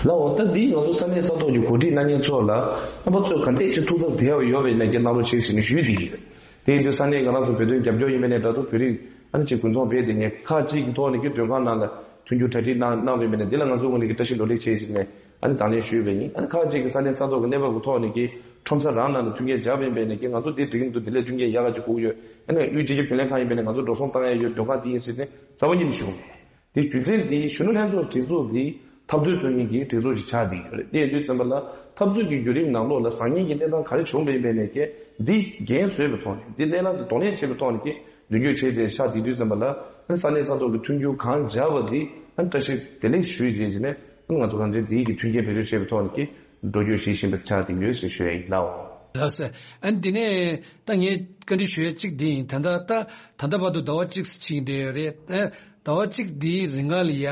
ལགས་འོ། ད་འདི་ང་ཚོ་ས་གནས་ས་ཐོག་གི་གོ་སྒྲིག་གནང་མཁན་ཚོ་ལ་རྣམ་པ་ཚོས་ག་འདྲས་ཅིག་ཐུགས་འཚབ་བསྡད་ཡོད་པའི་ནས་ཀྱི་གནང་རོགས་བྱེད་ཟེར་ནས་ཞུས་བསྡད་ཡོད། དེ་ཡིན་དུས་ས་གནས་ང་རང་ཚོ་བོད་དོན་རྒྱབ་སྐྱོར་ཡིན་པའི་ནས་འདྲ་འདུག་བོད་རིགས་ཨ་ནི་ཅིག་དགུན་ཚོང་འབད་དེ་ངས་ཁག་ཅིག་གི་ཐོག་ནས་ཀྱི་མགྲོན་ཁང་ནང་ལ་མཐུན་འགྱུར་གྲ་སྒྲིག་གནང་གནང་བའི་མི་སྣ་འདི་ལ་ང་ཚོ་ངོས་ནས་ཀྱི་བཀྲ་ཤིས་བདེ་ལེགས་བྱེད་ཅིག་ནས་ཨ་ནི་དང་ལེན་ཞུས་པ་ཡིན། ཨ་ནི་ཁག་ཅིག་གི་ས་གནས་ས་ཐོག་གི་གནས་བབ་ཀྱི་ཐོག་ནས་ཀྱི་ཁྲོམ་ས་རང་ནང་ལ་མཐུན་རྐྱེན་སྦྱར་བ་ཡིན་པའི་ནས་ཀྱི་ང་ཚོ་འདི་འགྲིག་གི་མི་འདུག་འདི་ལས་མཐུན་རྐྱེན་ཡག་ག་ཅིག་དགོས་ཀྱི་ཡོད། ཨ་ནི་དབུས་སྤྱི་ཁྱབ་རྒྱུན་ལས་ཁང་ཡིན་པའི་ནས་ང་ཚོ་འགྲོ་སོང་བཏང་ཡ་ཡོད། མགྲོན་ཁང་འདི་ཡིན་ཟེར་ནས་རྩ་བ་ཉིད་ནས་ཞུ་གི་མེད། དེ་རྒྱུ་མཚན་འདི་གཞོན་ནུ་ལྷན་ཚོགས་སྒྲིག་འཛུགས་ཀྱི་འཐབ་རྩོད་ཚོགས་གཉིས་ཀྱི་སྒྲིག་འཛུགས་ཤིག་ཆགས་བསྡད་ཡོད་རེད། དེ་ཡིན་དུས་ཙམ་པ་ལ་འཐབ་རྩོད་ཀྱི་བརྒྱུད་རིམ་ནང་ལོགས་ལ་བཟང་ངན་གྱི་གནས་སྟངས་ག་རེ་བྱུང་བ་ཡིན་པའི་ནས་ཀྱི་འདི་འགན་བཟོས་པའི་ཐོག་ནས་འདི་གནས་སྟངས་འདི་གདོང་ལེན་བྱས་པའི་ཐོག་ནས་ཀྱི་ མདུན་སྐྱོད་བྱས་ཏེ་ཆགས་བསྡད་དུས་ཙམ་པ་ལ་ཨ་ནི་ས་གནས་ས་ཐོག་གི་མཐུན་འགྱུར་གང་སྦྱར་བ་འདི་ཨ་ནི་བཀྲ་ཤིས་བདེ་ལེགས་ཞུས་རྗེས་ཀྱི་ནས་ཨ་ནི་ང་ཚོ་གང་ཅི་འདིའི་གི་མཐུན་རྐྱེན་བེད་སྤྱོད་བྱེད་པའི་ཐོག་ནས་ཀྱི་འགྲོ་སྐྱོད་བྱེད་བཞིན་པ་ཆགས་བསྡད་ཡོད་ཟེར་ཞུ་ཡ་ཡིན་ལགས། ལགས་སོ། ཨ་ནི་འདི་ནས་ད་ངས་བཀའ་འདྲི་ཞུ་ཡ་གཅིག་འདི་ཡིན། ད་ལྟ་ད་ད་ལྟ་བར་དུ་ཟླ་བ་གཅིག་ཕྱིན་བསྡད་ཡོད་རེད། ཨ་ཟླ་བ་གཅིག་འདིའི་རིང་ལ་ཡ་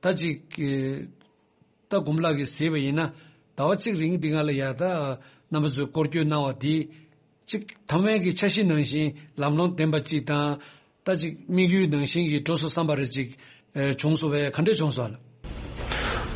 ད་ཅིག་ད་དགུང་ལགས་ཀྱིས་གཟིགས་པ་ཡིན་ན་ཟླ་བ་གཅིག་རིང་འདི་སྔ་ལ་ཡ་ད་རྣམ་པ་ཚོས་སྐོར་སྐྱོད་གནང་བ་འདི་གཅིག་ཐ་མལ་གྱི་འཆར་གཞི་ནང་བཞིན་ལམ་ལྷོང་ལྡན་པ་གཅིག་དང་། ད་ཅིག་དམིགས་ཡུལ་ནང་བཞིན་གྱི་འགྲོ་སོང་བསམ་པ་རེ་ཅིག་ཨེ་བྱུང་སོང་བས་ག་འདྲས་བྱུང་སོང་ལ།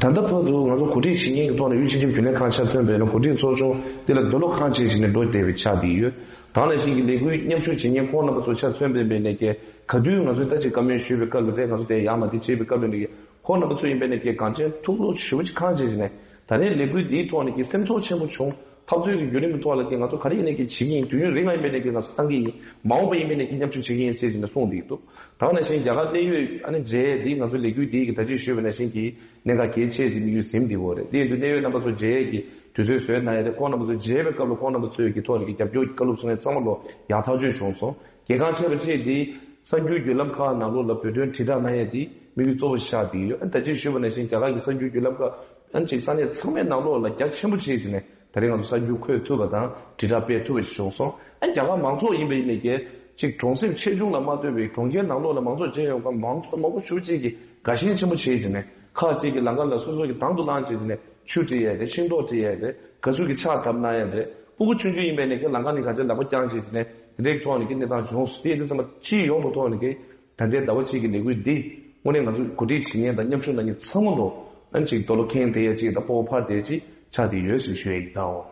ད་ལྟ་བར་དུ་ང་ཚོ་གོ་སྒྲིག་བྱེད་མཁན་གྱི་ཐོག་ནས་དབུས་སྤྱི་ཁྱབ་རྒྱུན་ལས་ཁང་ཆ་མཚོན་པས་ན་གོ་སྒྲིག་ཚོགས་ཆུང་འདི་ལ་འདོད་བློ་ཁེངས་བྱས་བྱས་ནས་འགྲོ་བསྡད་པའི་ཆ་དེ་ཡོད། ད་ནང་བཞིན་གྱི་ལས་འགུལ་མཉམ་ཞུགས་བྱེད་མཁན་ཁོང་རྣམ་པ་ཚོ་ཆ་མཚོན་པའི་འབད་ནས་ཀྱི་ག་དུས་ང་ཚོས་ད་ཅིག་བཀའ་མོལ་ཞུས་པའི་སྐབས་ལ་རེད། ང་ཚོ་དེ་ཡར་མར་དེ་བྱས་པའི་སྐབས་ལ་ནི་ཁོང་རྣམ་པ་ཚོ་ཡིན་པས་ནས་ཀྱི་གང་ཅན་ཐུགས་བློ་ཞེ་པོ་ཅིག་ཁེངས་བྱས་བྱས་ནས་ད་རེས་ལས་འགུལ་འདིའི་ཐོག་ནས་ཀྱི་སེམས་ཚོར་ཆེན་པོ་བྱུང་། འཐབ་རྩོད་ཀྱི་བརྒྱུད་རིམ་གྱི་ཐོག་ལ་ཀྱི་ང་ཚོ་ག་རེ་ཡིན་ནས་ཀྱི་བྱེད་ཀྱི་ཡིན། དུས་ཡུན་རིང་ལ་ཡིན་པས་ནས་ཀྱི་ང་ཚོ་བཏང་གི་ཡིན། མ་འོངས་པ་ཡིན་པས་ནས་ཀྱི་མཉམ་ཞུགས་བྱེད་ཀྱི་ཡིན་ཟེར་བྱས་ནས་གསུངས་འདུག་ད་ག་ནང་བཞིན་རྒྱ་གར་གནད་ཡོད་ཨ་ནི་མཇལ་ཡས་འདི་ང་ཚོ་ལས་འགུལ་འདིའི་གི་ད་ཅི་ཞུས་པ་ནང་བཞིན་གྱི་གནད་འགག་གལ་ཆེ་ཞིག་དམིགས་ཡུལ་ཟིན་འདི་འོ་རེད། དེ་ཡིན་དུས་གནད་ཡོད་རྣམ་པ་ཚོ་མཇལ་ཡས་ཀྱི་དུས་ཚོད་བཟོས་གནང་ཡས་རེད། ཁོང་རྣམ་པ་ཚོ་མཇལ་བའི་སྐབས་ལ་ཁོང་རྣམ་པ་ཚོས་ཀྱི་ཐོག་ནས་ཀྱི་རྒྱབ་སྐྱོར་གྱི་བཀའ་སློབ་གསུང་ཡས་ཚང་མ་ལོ་ཡག་ཐག་ཆོད་བྱུང་སོང་། གལ་འགངས་ཆེ་བ་བཅས་འདི་གསར་འགྱུར་བརྒྱུད་ལམ་ཁག་ནང་ལོགས་ལ་བོད་དོན་དྲིལ་བསྒྲགས་གནང་ཡས་འདི་དམིགས་ཡུལ་གཙོ་བོ་བཞག་འདི་ཡོད། ཨ་ད་ཅི་ཞུས་པ་ནང་བཞིན་རྒྱ་གར་གྱི་གསར་འགྱུར་བརྒྱུད་ལམ་ཁག་ཨ་ཅིག་ས་གནས་ཚང་མའི་ནང་ལོགས་ལ་རྒྱ་ཆེན་པོ་བྱས་ཀྱི་ནས་ད་རེས་ང་ཚོ་གསར་འགྱུར་འཁོད་ཐུབ་པ་དང་དྲིལ་བསྒྲགས་སྤེལ་ཐུབ་པ་ཞིག་བྱུང་སོང་། ཨ་རྒྱ་གར་མང་ཚོགས་ཡིན་པ་ཡིན་ནས་ཀྱི་ཅིག་གྲོང་གསེབ་ཆེ་ཆུང་ལ་མ་ལྟོས་པའི་གྲོང་ཁྱེར་ནང་ལོགས་ལ་མང་ཚོགས་མཇལ་ཡོང་མཁན་མང་ཚོགས་མང་པོ་ཞེ་པོ་ཅིག་གིས་དགའ་ཞེན་ཆེན་པོ་བྱས་ཀྱི་ནས་ཁག་ཅིག་གིས་ལམ་ཁ་ལ་སོ་སོ་གི་དང་དུ་བླངས་བྱས་ཀྱི་ནས་ཆུ་སྤྲད་ཡས་རེད། ཤིང་ཏོག་སྤྲད་ཡས་རེད། ག་ཚོད་ཀྱི་ཕྱག་བཏབ་གནང་ཡས་རེད། སྤུ་གུ་ཆུང་ཆུང་ཡིན་པའི་ནས་ཀྱི་ལམ་ཁ་ནས་ག་ཚོད་ལག་པ་བརྐྱངས་བྱས་ཀྱི་ནས་དེ་འདྲའི་ཐོག་ནས་ཀྱི་གནས་སྟངས་བྱུང་སོང་། དེ་ཡིན་དུས་ཙམ་པ་སྤྱི་ཡོངས་ཀྱི་ཐོག་ནས་ཀྱི་ད་ལྟའི་ཟླ་བ་གཅིག་གི་ལས་འགུལ་འདི་དངོས་གནས་ང་ཚོ་གོ་སྒྲིག་བྱེད་མཁན་དང་མཉམ་ཞུགས་གནང་མཁན་ཚང་མ་ལོ་ཨན་ཅིག་རྡོ་ལོ་ཁེངས་དེ་ཡ་ཅིག་དང་སྤོ་བོ་ཕར་དེ་ཅིག་ཆགས་བསྡད་ཡོད་ཟེར་ཞུ་ཡ་ཡིན་ད། འོ།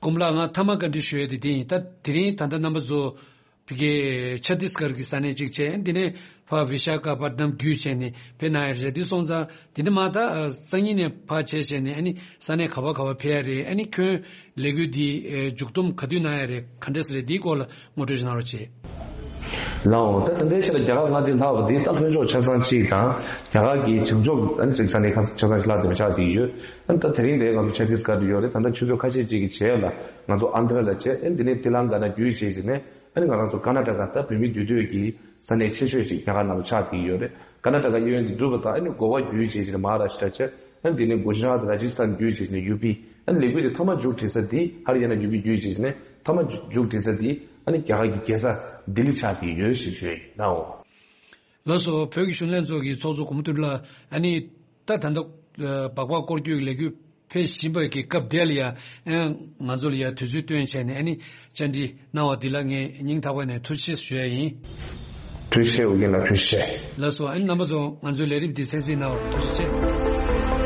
དགོན་པ་ལགས་ང་མཐའ་མ་བཀའ་འདྲི་ཞུ་ཡ་དེ་དེ་ཡིན། ད་དེ་རིང་ད་ལྟ་རྣམ་པ་ཚོ་ཕ་གི་ཆ་ཏིས་གར་གྱི་ས་གནས་གཅིག་བྱས། འདི་ནས་ཕ་བི་ཤ་ཁ་པ་དམ་རྒྱུད་བྱས་ནས་ཕེབས་གནང་ཡ་རེད། འདི་སོང་ཙང་འདི་ནས་མ་ད་སང་ཉིན་ནས་ཕ་བྱས་བྱས་ནས་ཨ་ནི་ས་གནས་ག་བ་ག་བ་ཕེབས་ཡ་རེད། ཨ་ནི་ཁྱོན་ལས་འགུལ་འདི་ཨེ་མཇུག་བསྡོམས་ག་དུས་གནང་ཡ་རེད། ག་འདྲས་རེད། འདིའི་སྐོར་ལ་ངོ་སྤྲོད་ཞིག་གནང་རོགས་བྱེད། ལའོ། ད་ད་ལྟའི་ཆ་ལ་རྒྱ་གར་མངའ་སྡེ་ལྷག་པ་འདི་ད་ལྷོ་ཕྱོགས་ཆ་ཚང་གཅིག་དང་རྒྱ་གར་གྱི་བྱང་ཕྱོགས་ཨ་ནི་ཅིག་ས་གནས་ཁ་ཆ་ཚང་གཅིག་ལྷག་དེ་མ་ཆགས་བསྡད་ཡོད། ཨ་ནི་ད་དེ་རིང་འདིར་ང་ཚོ་ཆ་ཏིས་གར་དུ་ཡོད་རེད། ད་ལྟ་ཆུ་ཚོད་ཁ་ཤས་ཅིག་གི་རྗེས་ལ་ང་ཚོ་ཨན་དྷ་ར་ལ་བྱས། ཨ་ནི་འདི་ནས་ཏི་ལང་ཀ་ན་བརྒྱུད་བྱས་ཟིན་ནས་ཨ་ནི་ང་རང་ཚོ་ཀར་ན་ཊ་ཀ་ད་བོད་མིའི་འདུས་སྡོད་ཀྱི་ས་གནས་ཆེ་ཤོས་ཤིག་རྒྱ་གར་ནང་ལ་ཆགས་བསྡད་ཡོད་རེད། ཀར་ན་ཊ་ཀ་གཡས་གཡོན་དེ་གྲུབ་པ་དང་ཨ་ནི་གོ་བ་བརྒྱུད་བྱས་ཟིན་ནས་མ་ཧཱ་རཱ་ཤི་ཏྲ་བྱས། ཨ་ནི་དེ་ནས་གུ་ཇི་རཱཏ། རཱ་ཇི་སི་ཐན་བརྒྱུད་བྱས་ནས་ཡུ་པི། ཨ་ནི་ལས་འགུལ་དེ་མཐའ་མ་མཇུག་སྒྲིལ་ས་དེ་ཧ་རི་ཡ་ན་ཡུ་པི་བརྒྱུད་བྱས་ནས་མཐའ་མ་མཇུག་སྒྲིལ་ས་དེ་ཨ་ནི་རྒྱ་གར་གྱི་རྒྱལ་ས་ལྡི་ལི་ཆགས་ཀྱི་ཡོད་ཞེས་ཞུ་ཡ་ཡིན་ནའོ། ལགས་སོ། བོད་ཀྱི་གཞོན་ལྷན་ཚོགས་ཀྱི་ཚོགས་གཙོ་གོང་མ་ཐུབ་ལ་ཨ་ནི་ད་ད་ལྟ་སྦག་སྦག་སྐོར་སྐྱོད་ཀྱི་ལས་འགུལ་ཕེབས་བཞིན་པའི་གི་སྐབས་དེ་ལ་ཡ་ཨ་ང་ཚོ་ལ་ཡ་དུས་ཚོད་བཏོན་བྱས་ནས་ཨ་ནི་བཅར་འདྲི་གནང་བ་འདི་ལ་ངས་སྙིང་ཐག་པ་ནས་ཐུགས་རྗེ་ཆེ་ཞུ་ཡ་ཡིན། ཐུགས་རྗེ་ཆེ། ཨོ་རྒྱན་ལགས་ཐུགས་རྗེ་ཆེ། ལགས་སོ། ཨ་ནི་རྣམ་པ་ཚོ་ང་ཚོའི་ལས་རིམ་འདི་གསན་གཟིགས་གནང་བར་ཐུགས་རྗེ་ཆེ།